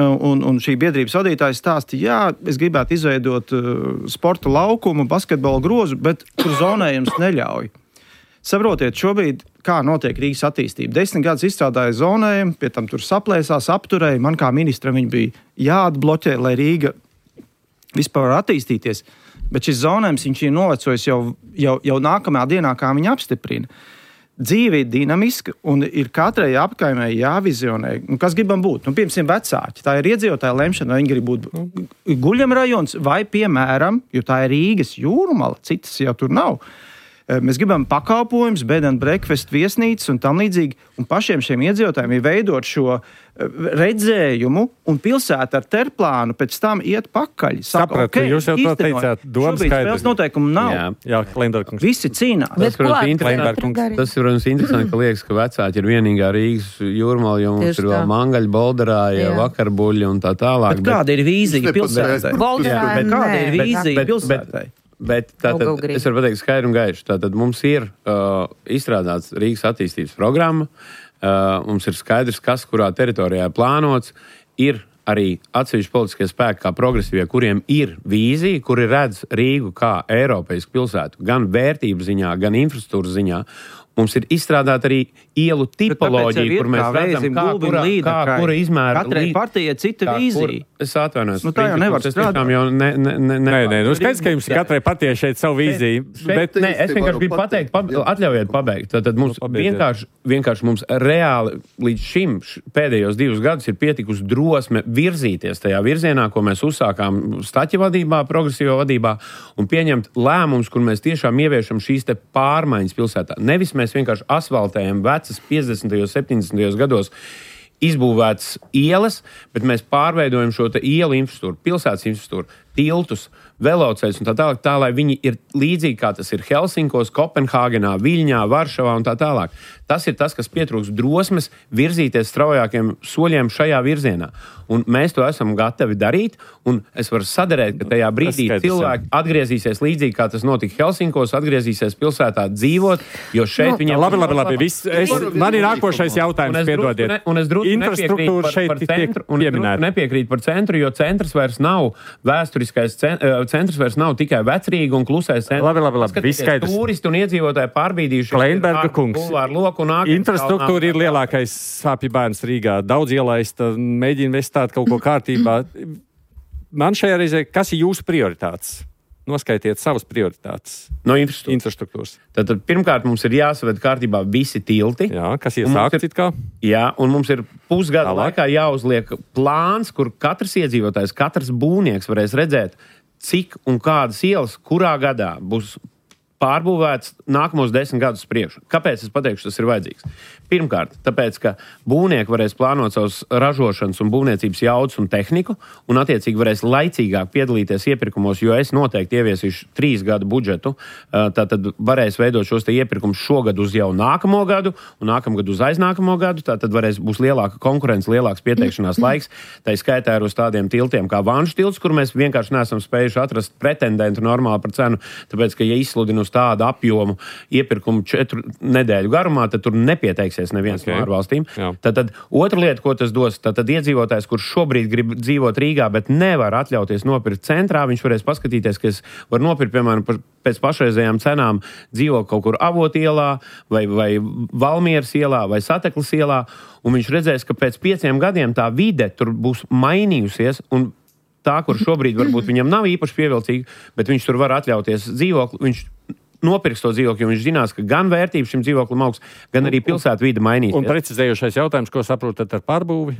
un, un šī biedrības vadītājs stāstīja, jā, es gribētu izveidot uh, sporta laukumu, basketbola grozu, bet tur zonējums neļauj. Saprotiet, šobrīd, kā notiek Rīgas attīstība. Desmit gadus izstrādāja zonējumu, pie tam tur saplēsās, apturēja. Man kā ministram viņi bija jāatbloķē, lai Rīga vispār var attīstīties. Bet šis zonējums viņš ir novecojis jau, jau, jau nākamajā dienā, kā viņi apstiprina. Dzīve ir dinamiska un ir katrai apkaimei jāvizionē, nu, kas gribam būt. Nu, piemēram, vecāki. Tā ir iedzīvotāja lemšana, vai viņi grib būt guļamrajons vai, piemēram, jo tā ir Rīgas jūrmala, citas jau tur nav. Mēs gribam pakalpojumus, bed and breakfast, viesnīcas un tam līdzīgi. Un pašiem šiem iedzīvotājiem ir veidot šo redzējumu un pilsētu ar terplānu pēc tam iet pakaļ. Sapratu, okay, jūs jau to īstenojam. teicāt, doma Šobrīd skaidra. spēles noteikumu nav. Jā. Jā, Klemberkungs. Visi cīnās. Bet ko protams, ar interesanti. katru darīt? Tas ir, protams, interesanti, ka liekas, ka vecāki ir vienīgā Rīgas jūrmala, jo mums Tieši ir vēl tā. mangaļi, bolderāji, Jā. vakarbuļi un tā tālāk. Bet kāda ir vīzija Viņš pilsētai? nepateica. Bolderā, Bet kāda nē, ir vīzija bet- pilsētai? Bet tātad, Go, go, grib. es varu pateikt skaidri un gaiši. Tātad mums ir uh, izstrādāts Rīgas attīstības programma, uh, mums ir skaidrs, kas kurā teritorijā plānots, ir arī atsevišķi politiskie spēki, kā progresīvie, kuriem ir vīzija, kuri redz Rīgu kā Eiropeisku pilsētu, gan vērtību ziņā, gan infrastruktūras ziņā. Mums ir izstrādāta arī ielu tipoloģija, kur mēs redzam, kā kura, kā, kura izmēra... Katrai partijai cita vīzija. Es atvainojos. Nu, tā jau nevar strādāt. Jau ne, ne, ne, nē, nē, nu skaidrs, ka jums katrai partijai šeit savu vīziju. Bet, nē, es vienkārši gribu pateikt, pab, atļaujiet pabeigt. Tad, tad mums vienkārši, vienkārši mums reāli līdz šim pēdējos divus gadus ir pietikusi drosme virzīties tajā virzienā, ko mēs uzsākām Staķa vadībā, progresīvā vadībā, un pieņemt lēmumus, kur mēs tiešām ieviešam šīs te pārmaiņas pilsētā. Nevis mēs vienkārši asfaltējam vecas piecdesmitajos, septiņdesmitajos gados izbūvētas ielas, bet mēs pārveidojam šo te ielu infrastruktūru, pilsētas infrastruktūru, tiltus, velocēļus un tā tālāk, tā, lai viņi ir līdzīgi, kā tas ir Helsinkos, Kopenhāgenā, Viļņā, Varšavā un tā tālāk. Tas ir tas, kas pietrūks drosmes virzīties straujākiem soļiem šajā virzienā. Un mēs to esam gatavi darīt, un es varu sadarēt, ka tajā brīdī cilvēki atgriezīsies līdzīgi, kā tas notika Helsinkos, atgriezīsies pilsētā dzīvot, jo šeit no, viņiem... Labi, labi, labi. Viss, es, man ir nākošais jautājums, piedodiet. Un es drusku nepiekrītu par, par centru, un es drusku nepiekrītu par centru, jo centrs vairs nav vēsturiskais centrs, vairs nav tikai Vecrīga un klusais centrs. Labi, labi, labi. Viss skaidrs. Turisti un iedzīvotāji pārbīdījuši. Kleinberga kungs. Infrastruktūra ir lielākais sāpju bērns Rīgā. Daudz ielaista, mēģina vestāt kaut ko kārtībā. Man šajā reizē, kas ir jūsu prioritātes? Noskaitiet savas prioritātes. No infrastruktūras. infrastruktūras. Tad, tad pirmkārt mums ir jāsaved kārtībā visi tilti. Jā, kas iesākts it kā. Jā, un mums ir pusgada Tālāk. laikā jāuzliek plāns, kur katrs iedzīvotājs, katrs būvnieks varēs redzēt, cik un kādas ielas, kurā gadā būs pārbūvēts nākamos desmit gadus priekšu. Kāpēc es pateikšu, tas ir vajadzīgs? Pirmkārt, tāpēc, ka būvnieki varēs plānot savus ražošanas un būvniecības jaudas un tehniku, un attiecīgi varēs laicīgāk piedalīties iepirkumos, jo es noteikti ieviesīšu trīs gadu budžetu, tātad varēs veidot šos te iepirkumus šogad uz jau nākamo gadu, un nākamgad uz aiznākamo gadu, tātad varēs būs lielāka konkurence, lielāks pieteikšanās laiks, tā skaitā ir uz tādiem tiltiem kā Vanšu tilts, kur mēs vienkārši neesam spējuši atrast pretendentu normāli par cenu, tāpēc, ka ja izsludina uz tādu apjomu iepirkumu četru nedēļu garumā, tad tur nepieteiksies neviens okay. no ārvalstīm. Tad, tad otra lieta, ko tas dos, tad, tad iedzīvotājs, kurš šobrīd grib dzīvot Rīgā, bet nevar atļauties nopirkt centrā, viņš varēs paskatīties, ka es varu nopirkt, piemēram, pēc pašreizējām cenām dzīvo kaut kur Avotielā vai, vai Valmieras ielā vai Sateklas ielā, un viņš redzēs, ka pēc pieciem gadiem tā vide tur būs mainījusies, un tā, kur šobrīd varbūt viņam nav īpaši pievilcīga, bet viņš tur var atļauties dzīvokli, viņš nopirks to dzīvokli, jo viņš zinās, ka gan vērtība šim dzīvoklim augs, gan arī pilsētu vide mainīsies. Un precizējošais jautājums, ko saprotat ar pārbūvi?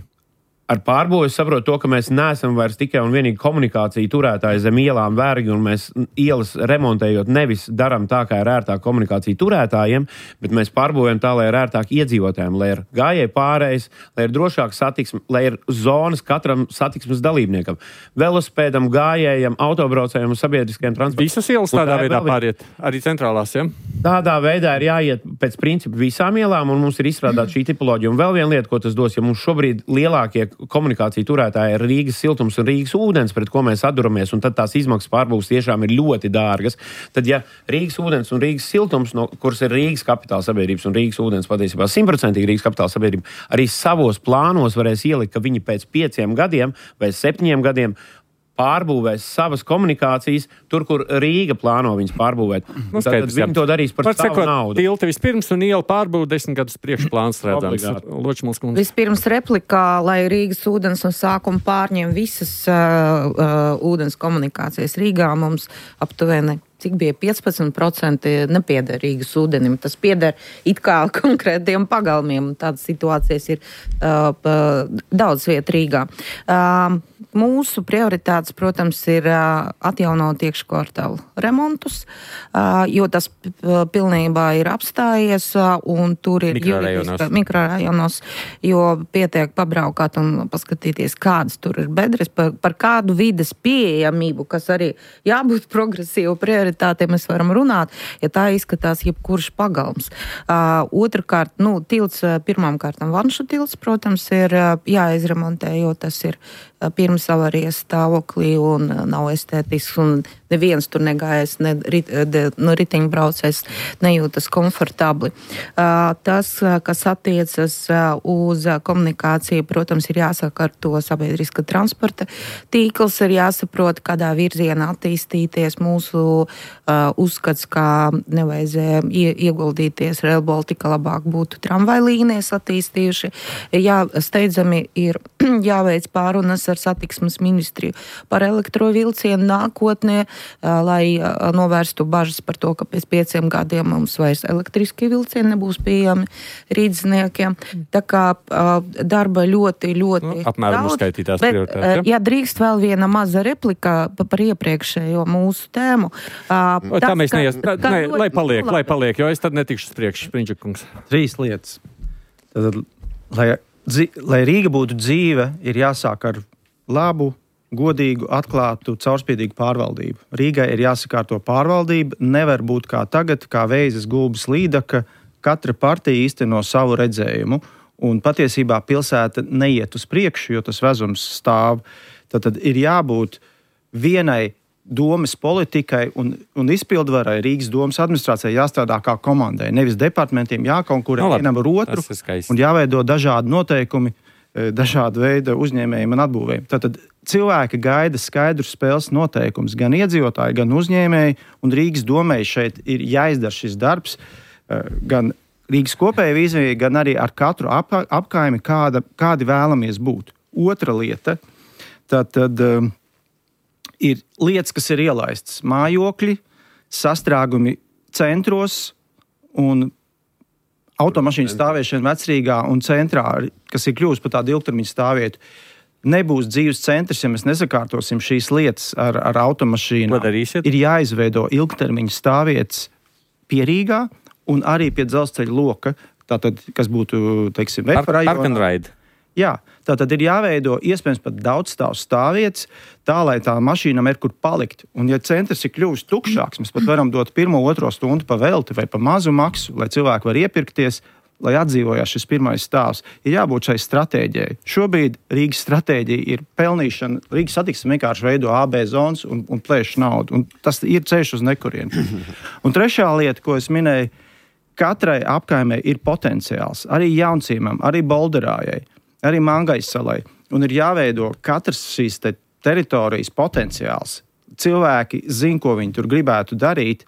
Ar pārbūvi es saprotu to, ka mēs neesam vairs tikai un vienīgi komunikāciju turētāji zem ielām vergi, un mēs ielas remontējot nevis daram tā, kā ir ērtāk komunikāciju turētājiem, bet mēs pārbūvējam tā, lai ir ērtāk iedzīvotājiem, lai ir gājēji pārējais, lai ir drošāk satiksme, lai ir zonas katram satiksmes dalībniekam, velospēdam, gājējam, autobraucējiem un sabiedriskajiem transportam. Visas ielas tādā veidā pāriet, arī centrālās, ja? Tādā veidā ir jāiet pēc principa visām ielām, un mums ir izstrādāta šī tipoloģija. Un vēl viena lieta, ko tas dos, ja mums šobrīd lielākie komunikāciju turētāji ir Rīgas siltums un Rīgas ūdens, pret ko mēs atduramies, un tad tās izmaksas pārbūves tiešām ir ļoti dārgas. Tad, ja Rīgas ūdens un Rīgas siltums, no kuras ir Rīgas kapitāla sabiedrības un Rīgas ūdens patiesībā simtprocentīgi Rīgas kapitāla sabiedrība, arī savos plānos varēs ielikt, ka viņi pēc pieciem gadiem vai septiņiem gadiem pārbūvēs savas komunikācijas tur, kur Rīga plāno viņas pārbūvēt. Nu, tad viņi jā. to darīs par savu sekot, naudu. Tilti vispirms un iela pārbūve desmit gadus priekšplāns redzams. Vispirms replikā, lai Rīgas ūdens no sākuma pārņem visas uh, uh, ūdens komunikācijas Rīgā, mums aptuveni cik bija piecpadsmit procenti nepieder Rīgas ūdenim. Tas pieder it kā konkrētiem pagalmiem. Tādas situācijas ir uh, daudz viet Rīgā. Uh, mūsu prioritātes, protams, ir uh, atjaunot iekškvartālu remontus, uh, jo tas uh, pilnībā ir apstājies uh, un tur ir mikrorajonos. mikrorajonos, jo pietiek pabraukāt un paskatīties, kādas tur ir bedres, par, par kādu vides pieejamību, kas arī jābūt progresīvu prioritāti. Tā mēs varam runāt, ja tā izskatās jebkurš pagalms. Uh, otrakārt, nu, tilts, pirmām kārtām Vanšu tilts, protams, ir uh, jāizremontē, jo tas ir uh, pirms dzīves avarijas stāvoklī un nav estētisks, un neviens tur negājas, ne rit, de, no riteņbraucējs nejūtas komfortabli. Tas, kas attiecas uz komunikāciju, protams, ir jāsaka ar to sabiedriska transporta tīkls, ir jāsaprot, kādā virzienā attīstīties. Mūsu uzskats, kā nevajadzēja ieguldīties Rail Baltica, labāk būtu tramvajlīnijas attīstījuši. Jā, steidzami ir jāveic pārunas ar satiksmes ministriju par elektrovilcienu nākotnē, lai novērstu bažas par to, ka pēc pieciem gadiem mums vairs elektriskie vilcieni nebūs pieejami rīdzniekiem. Tā kā darba ļoti, ļoti nu, apmēram daudz. Uzskaitītās Bet, prioritātes. ja drīkst vēl viena maza replika par iepriekšējo mūsu tēmu. O, tas, tā mēs neies, ka, ka, ne, lai paliek, lai paliek, jo es tad netikšu spriekš, Spriņģakungs. Trīs lietas. Tad, lai, dzi, lai Rīga būtu dzīve, ir jāsāk ar labu, godīgu, atklātu, caurspīdīgu pārvaldību. Rīgai ir jāsakārto pārvaldība, nevar būt kā tagad, kā Veizes Gulbes Līdaka, katra partija īsteno savu redzējumu, un patiesībā pilsēta neiet uz priekšu, jo tas vezums stāv. Tad, tad ir jābūt vienai domas politikai un, un izpildvarai Rīgas domas administrācijai jāstrādā kā komandai, nevis departamentiem jākonkurē no, vienam ar otru un jāveido dažādi noteikumi, dažāda veida uzņēmējiem un atbūvējiem. Tātad cilvēki gaida skaidrus spēles noteikumus, gan iedzīvotāji, gan uzņēmēji, un Rīgas domai šeit ir jāizdara šis darbs, gan Rīgas kopēja vīzija, gan arī ar katru ap, apkaimi, kāda, kādi vēlamies būt. Otra lieta, tad, tad um, ir lietas, kas ir ielaistas. Mājokļi, sastrēgumi centros un automašīnu stāvēšana vecrīgā un centrā, kas ir kļuvusi par tādu ilgtermiņu stāvvietu. Nebūs dzīves centrs, ja mēs nesakārtosim šīs lietas ar, ar automašīnu. Ir jāizveido ilgtermiņu stāvvietas pie Rīgā un arī pie dzelzceļa loka, tātad, kas būtu, teiksim, Vefa rajonā. Park and ride. Jā, tātad ir jāveido iespējams pat daudz stāvu stāvvietas, tā, lai tā mašīnam ir kur palikt. Un ja centrs ir kļuvis tukšāks, mēs pat varam dot pirmo, otro stundu pa velti vai pa mazu maksu, lai cilvēki var iepirkties, lai atdzīvojās šis pirmais stāvs. Ir jābūt šai stratēģijai. Šobrīd Rīgas stratēģija ir pelnīšana. Rīgas satiksme vienkārši veido A B zonas un, un plēš naudu. Un tas ir ceļš uz nekurienu. Un trešā lieta, ko es minēju, katrai apkaimē ir potenciāls. Arī Jauncīmam, arī Bolderājai, arī Mangais salai. Un ir jāveido katrs šīs te teritorijas potenciāls. Cilvēki zina, ko viņi tur gribētu darīt.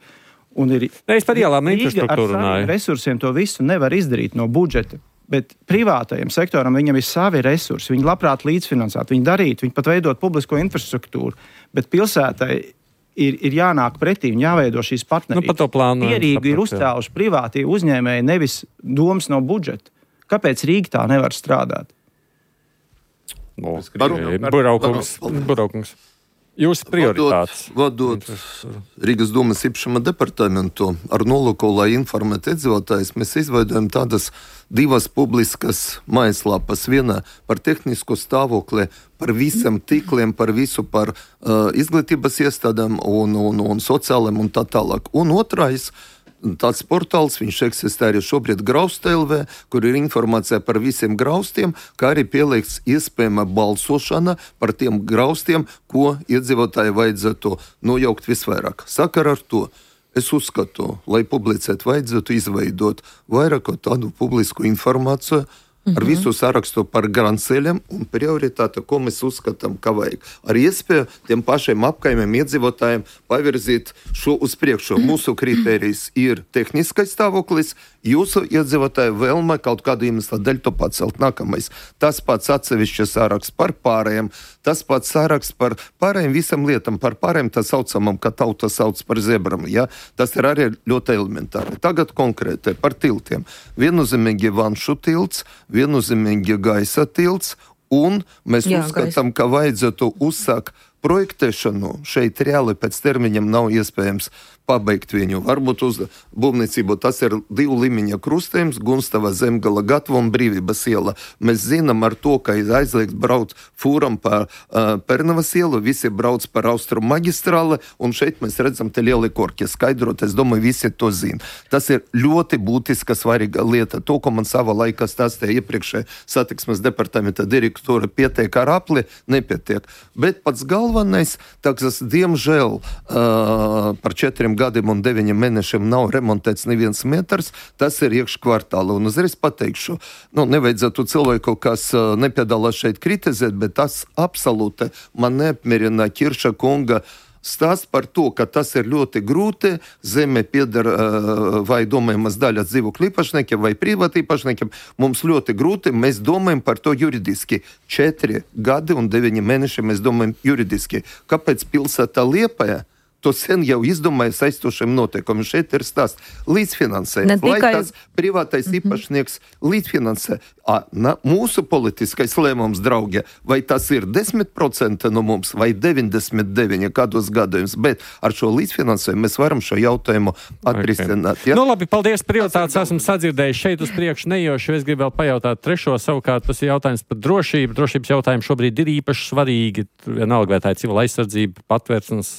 Un ir, ne, es par ielām infrastruktūru runāju. Resursiem to visu nevar izdarīt no budžeta. Bet privātajam sektoram viņam ir savi resursi. Viņi labprāt līdzfinansētu, viņi darītu, viņi pat veidot publisko infrastruktūru. Bet pilsētai ir, ir jānāk pretī un jāveido šīs partnerības. Nu, par to plānu. Pierīgi ir uzstāvuši privātie uzņēmēji, nevis domas no budžeta. Kāpēc Rīga tā nevar strādāt? No, Buraukums. Buraukums. Jūsu prioritātes. Vadot, vadot Rīgas domas īpašuma departamentu ar nolūku, lai informētu iedzīvotājus, mēs izveidojam tādas divas publiskas mājaslapas. Viena par tehnisku stāvokli, par visiem tīkliem, par visu par uh, izglītības iestādēm un, un, un sociāliem un tā tālāk. Un otrais, tāds portāls, viņš eksistē arī šobrīd Grausta L V, kur ir informācija par visiem graustiem, kā arī pieliekts iespējama balsošana par tiem graustiem, ko iedzīvotāji vajadzētu nojaukt visvairāk. Sakar ar to, es uzskatu, lai publicēt vajadzētu izveidot vairāk tādu publisku informāciju, ar mm-hmm. visu sarakstu par grandceļiem un prioritāti, ko mēs uzskatām, ka vajag. Ar iespēju tiem pašiem apkaimiem iedzīvotājiem pavirzīt šo uz priekšu. Mūsu kritērijs ir tehniskais stāvoklis, jūsu iedzīvotāju vēlme kaut kādu iemeslu dēļ to pacelt. Nākamais. Tas pats atsevišķi saraksts par pārējiem, tas pats saraksts par pārējiem visam lietam, par pārējiem tā saucamam, ka tauta sauc par zebram. Ja? Tas ir arī ļoti elementāri. Tagad konkrēti par tiltiem. Viennozīmīgi Vanšu tilts, viennozīmīgi gaisa tilts, un mēs Jā, uzskatām, gaisa. ka vajadzētu uzsākt projektēšanu šeit reāli pēc termiņiem nav iespējams pabeigt viņu. Varbūt uz būvniecību tas ir divu līmeņa krustējums, Gunstava, Zemgala, Gatva un Brīvības iela. Mēs zinām ar to, ka ir aizliegts braukt fūram pa uh, Pernavas ielu, visi brauc par Austrumu magistrāli, un šeit mēs redzam te lieli korki. Skaidrot, es domāju, visi to zina. Tas ir ļoti būtiska svarīga lieta. To, ko man sava laika stāstīja iepriekšē satiksmes departamenta direktora, pietiek ar apli, nepietiek. Bet pats galvenais, tāks, diemžēl, uh, par četriem gadiem un deviņiem mēnešiem nav remontēts neviens metrs, tas ir iekškvartāli. Un uzreiz pateikšu, nu, nevajadzētu cilvēku, kas uh, nepiedalās šeit kritizēt, bet tas absolūti man neapmierina Kirša kunga stāsts par to, ka tas ir ļoti grūti, zeme pieder uh, vai domājamas daļas dzīvokļu īpašniekiem vai privāti īpašniekiem. Mums ļoti grūti, mēs domājam par to juridiski. Četri gadi un deviņi mēneši mēs domājam juridiski. Kāpēc pilsētā Liepaja to sen jau izdomāja saistošiem noteikumiem? Šeit ir stāsts līdzfinansējums. Tikai... Lai tas privātais mm-hmm. īpašnieks līdzfinansē. A, na, mūsu politiskais lēmums, draugi, vai tas ir desmit procenti no mums, vai deviņdesmit deviņi kādos gadījums, bet ar šo līdzfinansējumu mēs varam šo jautājumu atrisināt. Okay. Ja? Nu labi, paldies, prioritātes esam sadzirdējuši šeit uz priekšu nejoši. Es gribu vēl pajautāt trešo, savukārt tas ir jautājums par drošību. Drošības jautājumi šobrīd ir īpaši svarīgi. Vienalga, vai tā ir civila aizsardzība, patvērsnes,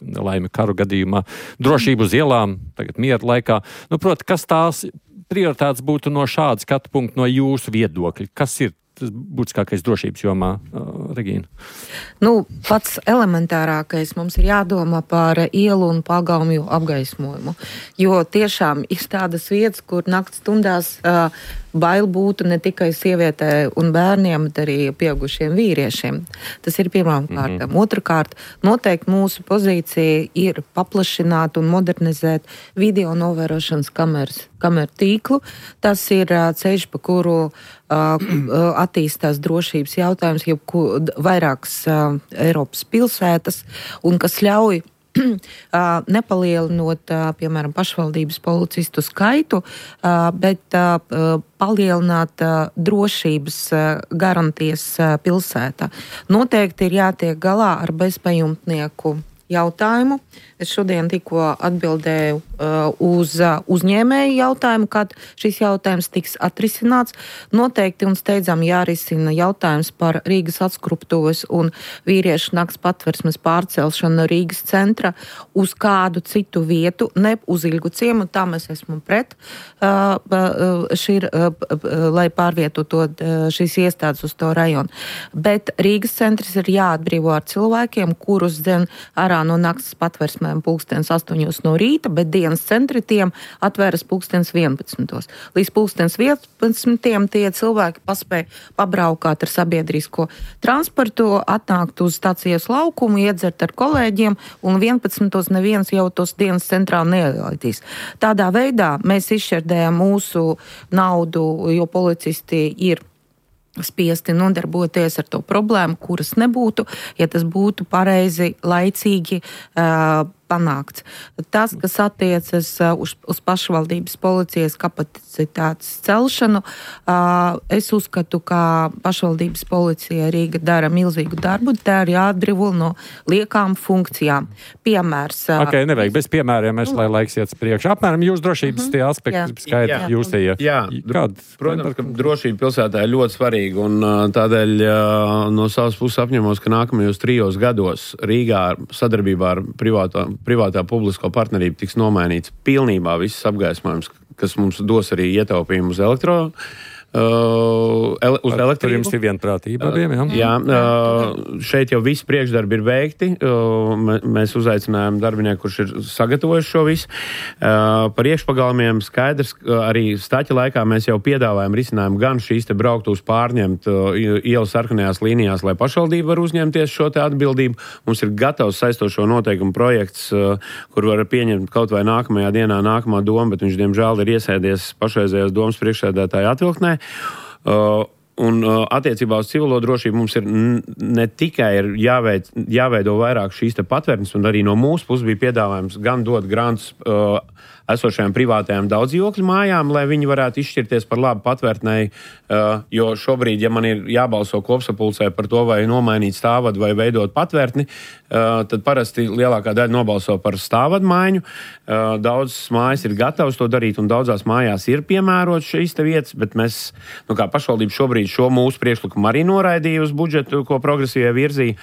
nelaime karu gadījumā, drošību uz ielām, tagad miera laikā. Nu, proti, kas tās prioritātes būtu no šāda skatu punkta, no jūsu viedokļa? Kas ir tas būtiskākais drošības jomā, uh, Regīna? Nu, pats elementārākais mums ir jādomā par ielu un pagalmju apgaismojumu, jo tiešām ir tādas vietas, kur nakts stundās uh, bail būtu ne tikai sievietē un bērniem, bet arī pieaugušiem vīriešiem. Tas ir pirmām kārtām. Mm-hmm. Otrakārt, noteikti mūsu pozīcija ir paplašināt un modernizēt video novērošanas kameras, kameru tīklu. Tas ir uh, ceļš, pa kuru uh, attīstās drošības jautājums, jau vairākas uh, Eiropas pilsētas, un kas ļauj nepalielinot, piemēram, pašvaldības policistu skaitu, bet palielināt drošības garantijas pilsētā. Noteikti ir jātiek galā ar bezpajumtnieku jautājumu. Es šodien tikko atbildēju uh, uz uh, uzņēmēju jautājumu, kad šis jautājums tiks atrisināts. Noteikti un steidzam jārisina jautājums par Rīgas atskruptuves un vīriešu nakts patversmes pārcelšanu no Rīgas centra uz kādu citu vietu, ne uz Ilgu ciemu, tā mēs esmu pret, uh, uh, šir, uh, uh, lai pārvietotu uh, šīs iestādes uz to rajonu. Bet Rīgas centrs ir jāatbrīvo ar cilvēkiem, kurus dzen ārā no nakts patversmēm pulkstens astoņos no rīta, bet dienas centri tiem atvēras pulkstens vienpadsmitos. Līdz pulkstens vienpadsmitiem tie cilvēki paspēja pabraukāt ar sabiedrisko transportu, atnākt uz stacijas laukumu, iedzert ar kolēģiem, un vienpadsmitos neviens jau tos dienas centrā neielaidīs. Tādā veidā mēs izšķērdējam mūsu naudu, jo policisti ir spiesti nodarboties ar to problēmu, kuras nebūtu, ja tas būtu pareizi, laicīgi uh, panākts. Tas, kas attiecas uh, uz, uz pašvaldības policijas kapacitātes celšanu, uh, es uzskatu, ka pašvaldības policija Rīga dara milzīgu darbu, tā ir jāatbrīvo no liekām funkcijām. Piemērs. Uh, ok, nevajag bez piemēriem, es, lai laiks iet priekš. Apmēram jūs drošības uh-huh. tie aspekti skaidri, jūs tie. Jā, Kād, protams, ka drošība pilsētā ir ļoti svarīga, un uh, tādēļ uh, no savas puses apņemos, ka nākamajos trijos gados Rīgā sadarbībā ar privāto privātā publisko partnerību tiks nomainīts pilnībā viss apgaismojums, kas mums dos arī ietaupījumu uz elektro. Uh, ele, uz Ar, elektrību. Jums ir vienprātība abiem, jā? Jā, uh, šeit jau visi priekšdarbi ir veikti. Uh, mēs uzaicinājām darbinieku, kurš ir sagatavojis šo visu. Uh, par iekšpagalmiem skaidrs, arī staķa laikā mēs jau piedāvājam risinājumu gan šīs te brauktos pārņemt uh, ielas sarkanajās līnijās, lai pašvaldība var uzņemties šo te atbildību. Mums ir gatavs saistošo noteikumu projekts, uh, kur var pieņemt kaut vai nākamajā dienā nākamā doma, bet viņš, diemžēl, ir iesēdies pašreizējās domas priekšsēdētāja atvilktnē. Uh, un uh, attiecībā uz civilo drošību mums ir n- ne tikai ir jāveid, jāveido vairāk šīs te patvērtnes, un arī no mūsu puses bija piedāvājums gan dot grants uh, esošajām privātajām daudzdzīvokļu mājām, lai viņi varētu izšķirties par labu patvērtnēji, jo šobrīd, ja man ir jābalso kopsapulcē par to, vai nomainīt stāvvadu vai veidot patvērtni, tad parasti lielākā daļa nobalso par stāvvadu maiņu. Daudzas mājas ir gatavas to darīt, un daudzās mājās ir piemērots šīs te vietas, bet mēs, nu kā pašvaldība šobrīd šo mūsu priekšlikumu arī noraidīja uz budžetu, ko progresīvie virzīja.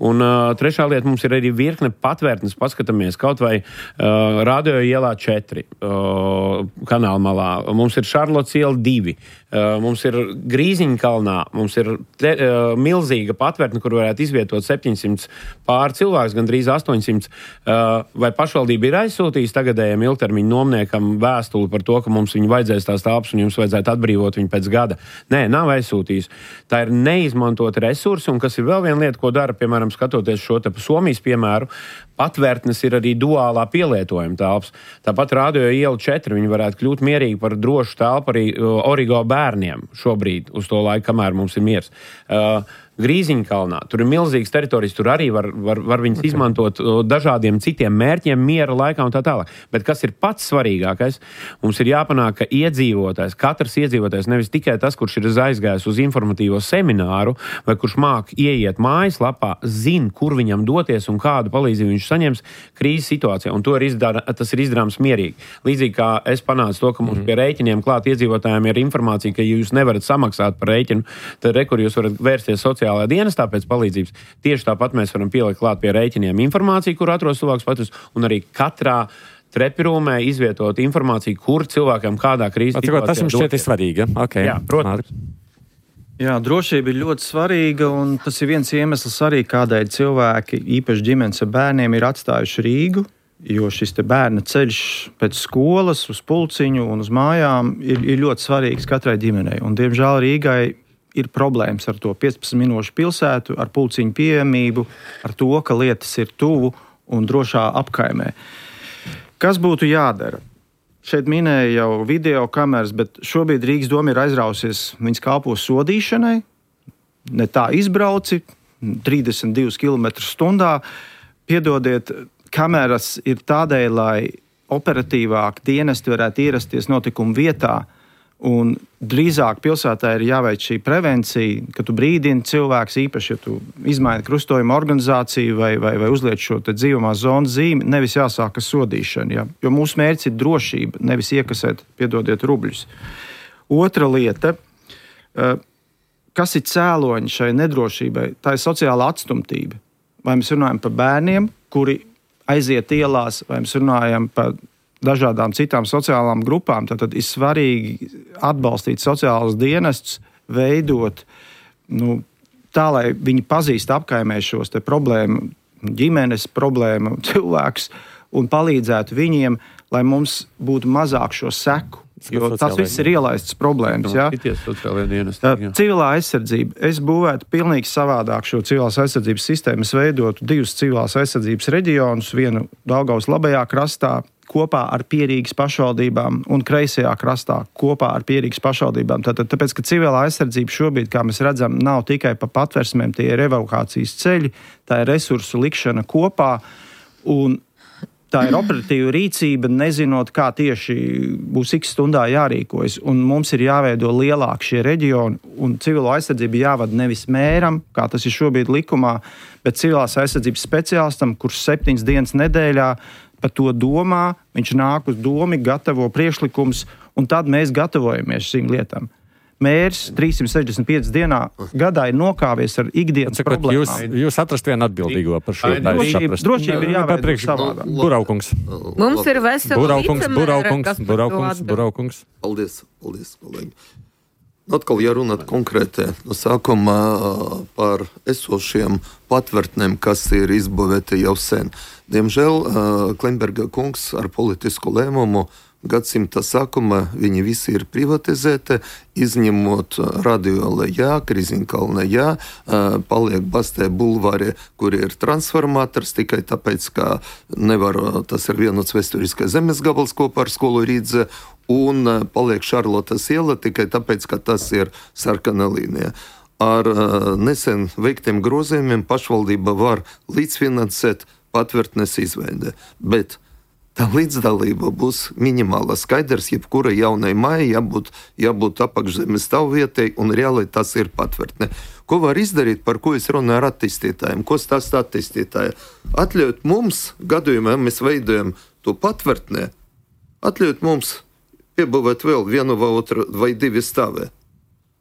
Un uh, trešā lieta, mums ir arī virkne patvērtnes, paskatāmies kaut vai uh, Radio ielā četri uh, kanāla malā. Mums ir Šarlots iela divi. Uh, mums ir Grīziņkalnā, mums ir te, uh, milzīga patvērtne, kur varētu izvietot septiņsimt pār cilvēks, gandrīz astoņsimt. Uh, vai pašvaldība ir aizsūtījusi tagadējiem ilgtermiņu nomniekam vēstuli par to, ka mums viņu vajadzēs tās telpas un jums vajadzētu atbrīvot viņu pēc gada? Nē, nav aizsūtījusi. Tā ir neizmantota resursi, un kas ir vēl viena lieta, ko dara, piemēram, skatoties šo te Somijas piemēru, patvērtnes ir arī duālā pielietojuma telpas. Tāpat Radio iela četri, viņi varētu kļūt mierīgi par drošu telpu arī Origo bērniem šobrīd, uz to laiku, kamēr mums ir miers. Uh, Grīziņkalnā, tur ir milzīgas teritorijas, tur arī var, var, var viņas okay. izmantot dažādiem citiem mērķiem, miera laikā un tā tālāk. Bet kas ir pats svarīgākais? Mums ir jāpanāk, ka iedzīvotājs, katrs iedzīvotājs, nevis tikai tas, kurš ir aizgājis uz informatīvo semināru, vai kurš māk ieiet mājaslapā, zina, kur viņam doties un kādu palīdzību viņš saņems krīzes situācijā. Un to ir izdara, tas ir izdarāms mierīgi. Līdzīgi kā es panācu to, ka mums pie rēķiniem klāt iedzīvotājiem ir informācija, ka jūs nevarat samaksāt par rēķinu, tad re, kur jūs varat vērsties sociālajā sociālajā dienestā pēc palīdzības. Tieši tāpat mēs varam pielikt klāt pie rēķiniem informāciju, kur atrodas cilvēks paturs, un arī katrā trepirūmē izvietot informāciju, kur cilvēkam kādā krīzes situācijā. Tas jums šķiet ir svarīgi, ja? Okay. Jā, protams. Jā, drošība ir ļoti svarīga, un tas ir viens iemesls arī, kādēļ cilvēki, īpaši ģimenes ar bērniem, ir atstājuši Rīgu, jo šis te bērna ceļš pēc skolas uz pulciņu un uz mājām ir, ir ļoti svarīgs katrai ģimenei. Un, diemžēl, Rīgai ir problēmas ar to piecpadsmit minūšu pilsētu, ar pulciņu pieejamību, ar to, ka lietas ir tuvu un drošā apkaimē. Kas būtu jādara? Šeit minēja jau video kameras, bet šobrīd Rīgas doma ir aizrausies viņas kalpo sodīšanai. Ne tā izbrauci, trīsdesmit divus kilometrus stundā. Piedodiet, kameras ir tādēļ, lai operatīvāk dienesti varētu ierasties notikuma vietā. Un drīzāk pilsētā ir jāveic šī prevencija, ka tu brīdini cilvēks, īpaši, ja tu izmaini krustojuma organizāciju vai, vai, vai uzliec šo te dzīvamās zonas zīmi, nevis jāsāk ar sodīšanu. Ja? Jo mūsu mērķis ir drošība, nevis iekasēt, piedodiet, rubļus. Otra lieta, kas ir cēloņi šai nedrošībai, tā ir sociāla atstumtība. Vai mēs runājam par bērniem, kuri aiziet ielās, vai mēs runājam par dažādām citām sociālām grupām, tad, tad ir svarīgi atbalstīt sociālus dienestus, veidot nu, tā, lai viņi pazīst apkaimē šos te problēmu, ģimenes problēmu cilvēkus un palīdzētu viņiem, lai mums būtu mazāk šo seku. Jo tas viss ir ielaistas problēmas. Ja? Civilā aizsardzība. Es būvētu pilnīgi savādāk šo civilās aizsardzības sistēmu. Es veidotu divus civilās aizsardzības reģionus, vienu Daugavas labajā krastā, kopā ar Pierīgas pašvaldībām un kreisajā krastā kopā ar Pierīgas pašvaldībām. Tātad, tāpēc, ka civilā aizsardzība šobrīd, kā mēs redzam, nav tikai pa patversmēm, tie ir evakuācijas ceļi, tā ir resursu likšana kopā un tā ir operatīva rīcība, nezinot, kā tieši būs x stundā jārīkojas. Un mums ir jāveido lielāk šie reģioni, un civilo aizsardzību jāvada nevis mēram, kā tas ir šobrīd likumā, bet civilās aizsardzības speciālistam, kurš septiņas dienas nedēļā par to domā, viņš nāk uz domi, gatavo priekšlikums, un tad mēs gatavojamies šīm lietām. Mērs trīssimt sešdesmit piecas dienā gadā ir nokāvies ar ikdienas Cikot, problēmām. Jūs, jūs atrast vienu atbildīgo par šo. Drošība, drošība ir jāveido savādāk. Buraukungs. Mums ir vesela Buraukungs, Buraukungs, Buraukungs, Buraukungs. Paldies, paldies, kolēģi. Atkal, ja runāt konkrēti no sākuma par esošiem patvērtnēm, kas ir izbūvēti jau sen. Diemžēl Klimberga kungs ar politisku lēmumu gadsimta sākuma viņi visi ir privatizēti, izņemot Radio Lejā, Grīziņkalnā, jā, paliek Bastē bulvāri, kur ir transformators, tikai tāpēc, ka nevar, tas ir vienots vēsturiskais zemes gabals kopā ar skolu Rīdze, un paliek Šarlotas iela tikai tāpēc, ka tas ir sarkana līnija. Ar nesen veiktiem grozījumiem pašvaldība var līdzfinansēt patvērtnes izveidi, bet tā līdzdalība būs minimāla. Skaidrs, jebkura jaunai mājai jābūt, jābūt apakšzemes stāvvietai, un reāli tas ir patvērtne. Ko var izdarīt, par ko es runāju ar attīstītājiem? Ko stāsta attīstītāji? Atļaut mums, gadījumā mēs veidojam to patvērtnē, atļaut mums piebūvēt vēl vienu vai otru vai divi stāvē.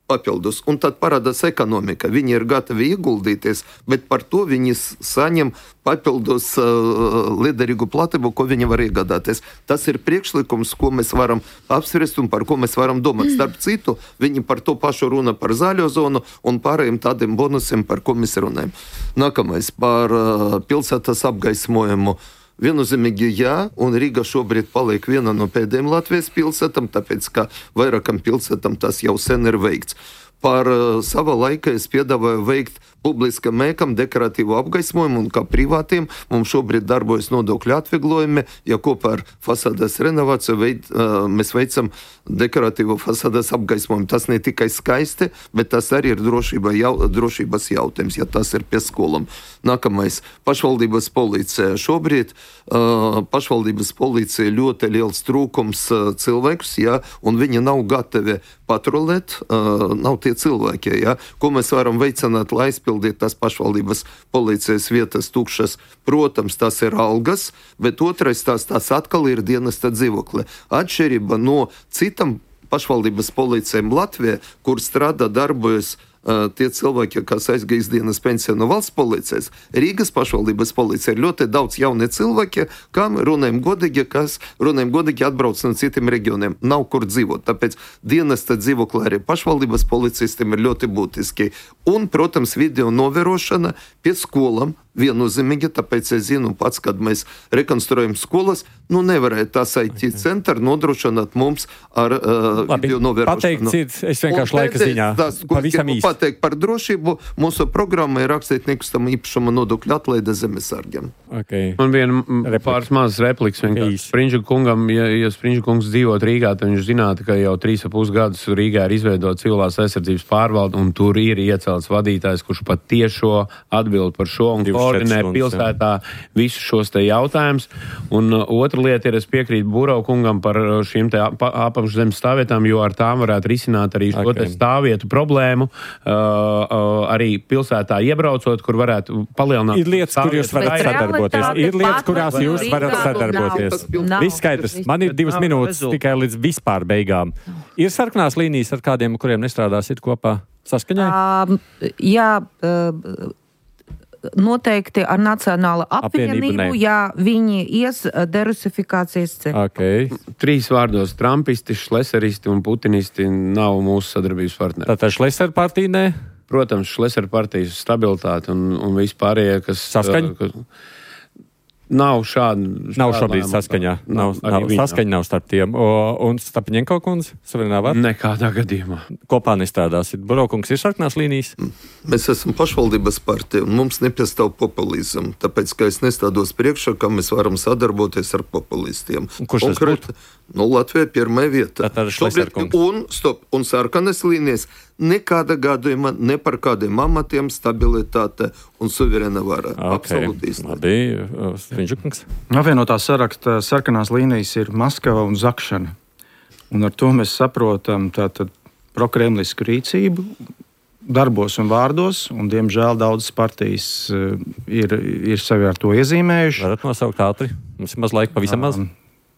Papildus, un tad parādās ekonomika. Viņi ir gatavi ieguldīties, bet par to viņi saņem papildus uh, liederīgu platību, ko viņi var iegādāties. Tas ir priekšlikums, ko mēs varam apspriest un par ko mēs varam domāt. Starp citu, viņi par to pašu runa par zaļo zonu un pārējiem tādiem bonusiem, par ko mēs runājam. Nākamais par uh, pilsētas apgaismojumu. Viennozīmīgi jā, un Rīga šobrīd paliek viena no pēdējiem Latvijas pilsētām, tāpēc, ka vairākam pilsētām tas jau sen ir veikts. Par uh, sava laika es piedāvāju veikt publiskam mēkam dekoratīvu apgaismojumu, un kā privātiem mums šobrīd darbojas nodokļu atvieglojumi, ja kopā ar fasādes renovāciju veid, uh, mēs veicam dekoratīvu fasādes apgaismojumu. Tas ne tikai skaisti, bet tas arī ir drošība, jau, drošības jautājums, ja tas ir pie skolām. Nākamais - pašvaldības policija. Šobrīd uh, pašvaldības policija ļoti liels trūkums uh, cilvēkus, ja, un viņi nav gatavi patrolēt, uh, nav tie cilvēki, ja, ko mēs varam veicināt, lai aizpildīt tās pašvaldības policijas vietas tukšas. Protams, tas ir algas, bet otrais tās, tās atkal ir dienesta dzīvokli. Atšķirība no citam pašvaldības policijām Latvijā, kur strādā darbojas uh, tie cilvēki, kas aizgājis dienas pensiju no valsts policijas. Rīgas pašvaldības policija ir ļoti daudz jauni cilvēki, kam runājam godīgi, kas runājam godīgi atbrauc no citiem reģioniem. Nav kur dzīvot. Tāpēc dienesta dzīvokli arī pašvaldības policistiem ir ļoti būtiski. Un, protams, video novērošana pie skolām. Viennozīmīgi, tāpēc es zinu pats, kad mēs rekonstruējam skolas, nu nevarēja tas I T centra nodrošināt mums ar uh, Labi, video novērošanu. Pateikt, cits, es vienkārši laika ziņā. Tas, ko pavisam īsti. Pateikt par drošību, mūsu programma ir rakstīt nekustamā īpašuma nodokļu atlaide zemesargiem. Okay. Man viena pāris mazas replikas vienkārši. Sprindža kungam, ja, ja Sprindža kungs dzīvot Rīgā, tad viņš zinātu, ka jau trīs ap pus gadus Rīgā ir izveidota civilās aizsardzības pārvalde, un tur ir iecelts vadītājs, kurš pat tiešo atbild par šo un koordinē pilsētā visus šos te jautājumus. Un uh, otra lieta ir, es piekrītu Burau kungam par šīm te ap apakšzemes stāvvietām, jo ar tām varētu risināt arī šo okay. te stāvvietu problēmu, uh, uh, arī pilsētā iebraucot, kur varētu palielināt. Ir lietas, kur jūs varat sadarboties. Ir lietas, kurās jūs varat sadarboties. Viss skaidrs. Man ir divas minūtes tikai līdz vispār beigām. Ir sarkanās līnijas, ar kādiem, kuriem nestrādāsit kopā saskaņai? Uh, jā, uh, noteikti ar Nacionālo apvienību, ja viņi ies derusifikācijas ceļu. Okay. Trīs vārdos - trumpisti, šleseristi un putinisti nav mūsu sadarbības partneri. Tātad šleser partija nē? Protams, šleser partijas stabilitāte un, un vispārējie, kas... Saskaņa? Kas, nav šāda... Nav šobrīd saskaņā. Nav, nav, saskaņa nav starp tiem. O, un Stapiņenko kundze? Suverenā vārda? Nekādā gadījumā. Kopā nestrādāsit. Buraukungs ir sarkanās līnijas? Mēs esam pašvaldības partija, un mums nepastāv populismu. Tāpēc, ka es nestādos priekšā, kā mēs varam sadarboties ar populistiem. Kurš tas būtu? Nu, Latvija pirmā vieta. Tātad šleserkungs. Un, stop, un sarkanas līnijas nekāda gadījumā, ne par kādiem amatiem, stabilitāte un suverēna vara. Okay. Absolūti īstenībā. Labi, Strindžukungs. Apvienotā saraksta sarkanās līnijas ir Maskava un Zakšana. Un ar to mēs saprotam tātad prokremlisku rīcību darbos un vārdos, un diemžēl daudzas partijas uh, ir, ir sevi ar to iezīmējuši. Varat nosaukt ātri? Mums ir maz laika, pavisam maz. Um,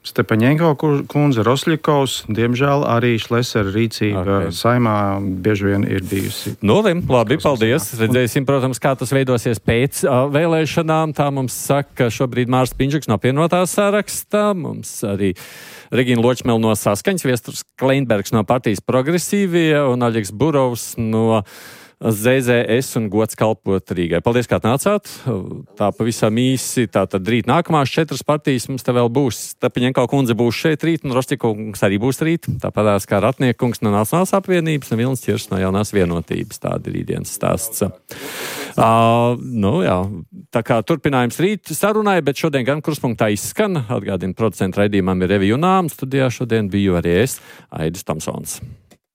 Stepaņenko kundze, Rosļikovs, diemžēl arī šlesera rīcība okay. Saimā bieži vien ir bijusi. Nolim, labi, paldies. Redzēsim, protams, kā tas veidosies pēc uh, vēlēšanām. Tā mums saka šobrīd Mārs Piņģuks no apvienotās sarakstā. Mums arī Regīna Ločmela no Saskaņas, Viesturs Kleinbergs no partijas Progresīvie un Aļiks Burovs no Z Z S un Gods kalpot Rīgai. Paldies, kā nācāt. Tā pavisam īsi. Tātad rīt nākamās četras partijas mums te vēl būs. Stapiņenko kundze būs šeit rīt, un Rosļikovs arī būs rīt. Tāpatās kā Ratniekungs no Nacionālās apvienības un Vilnis Ķirs no Jaunās vienotības. Tāda ir rītdienas stāsts. Uh, nu jā, tā kā turpinājums rīt sarunai, bet šodien gan kruspunktā izskan. Atgādina, producentu raidījumam ir Revija Junām. Studijā šodien biju arī es, Aidis Tamsons.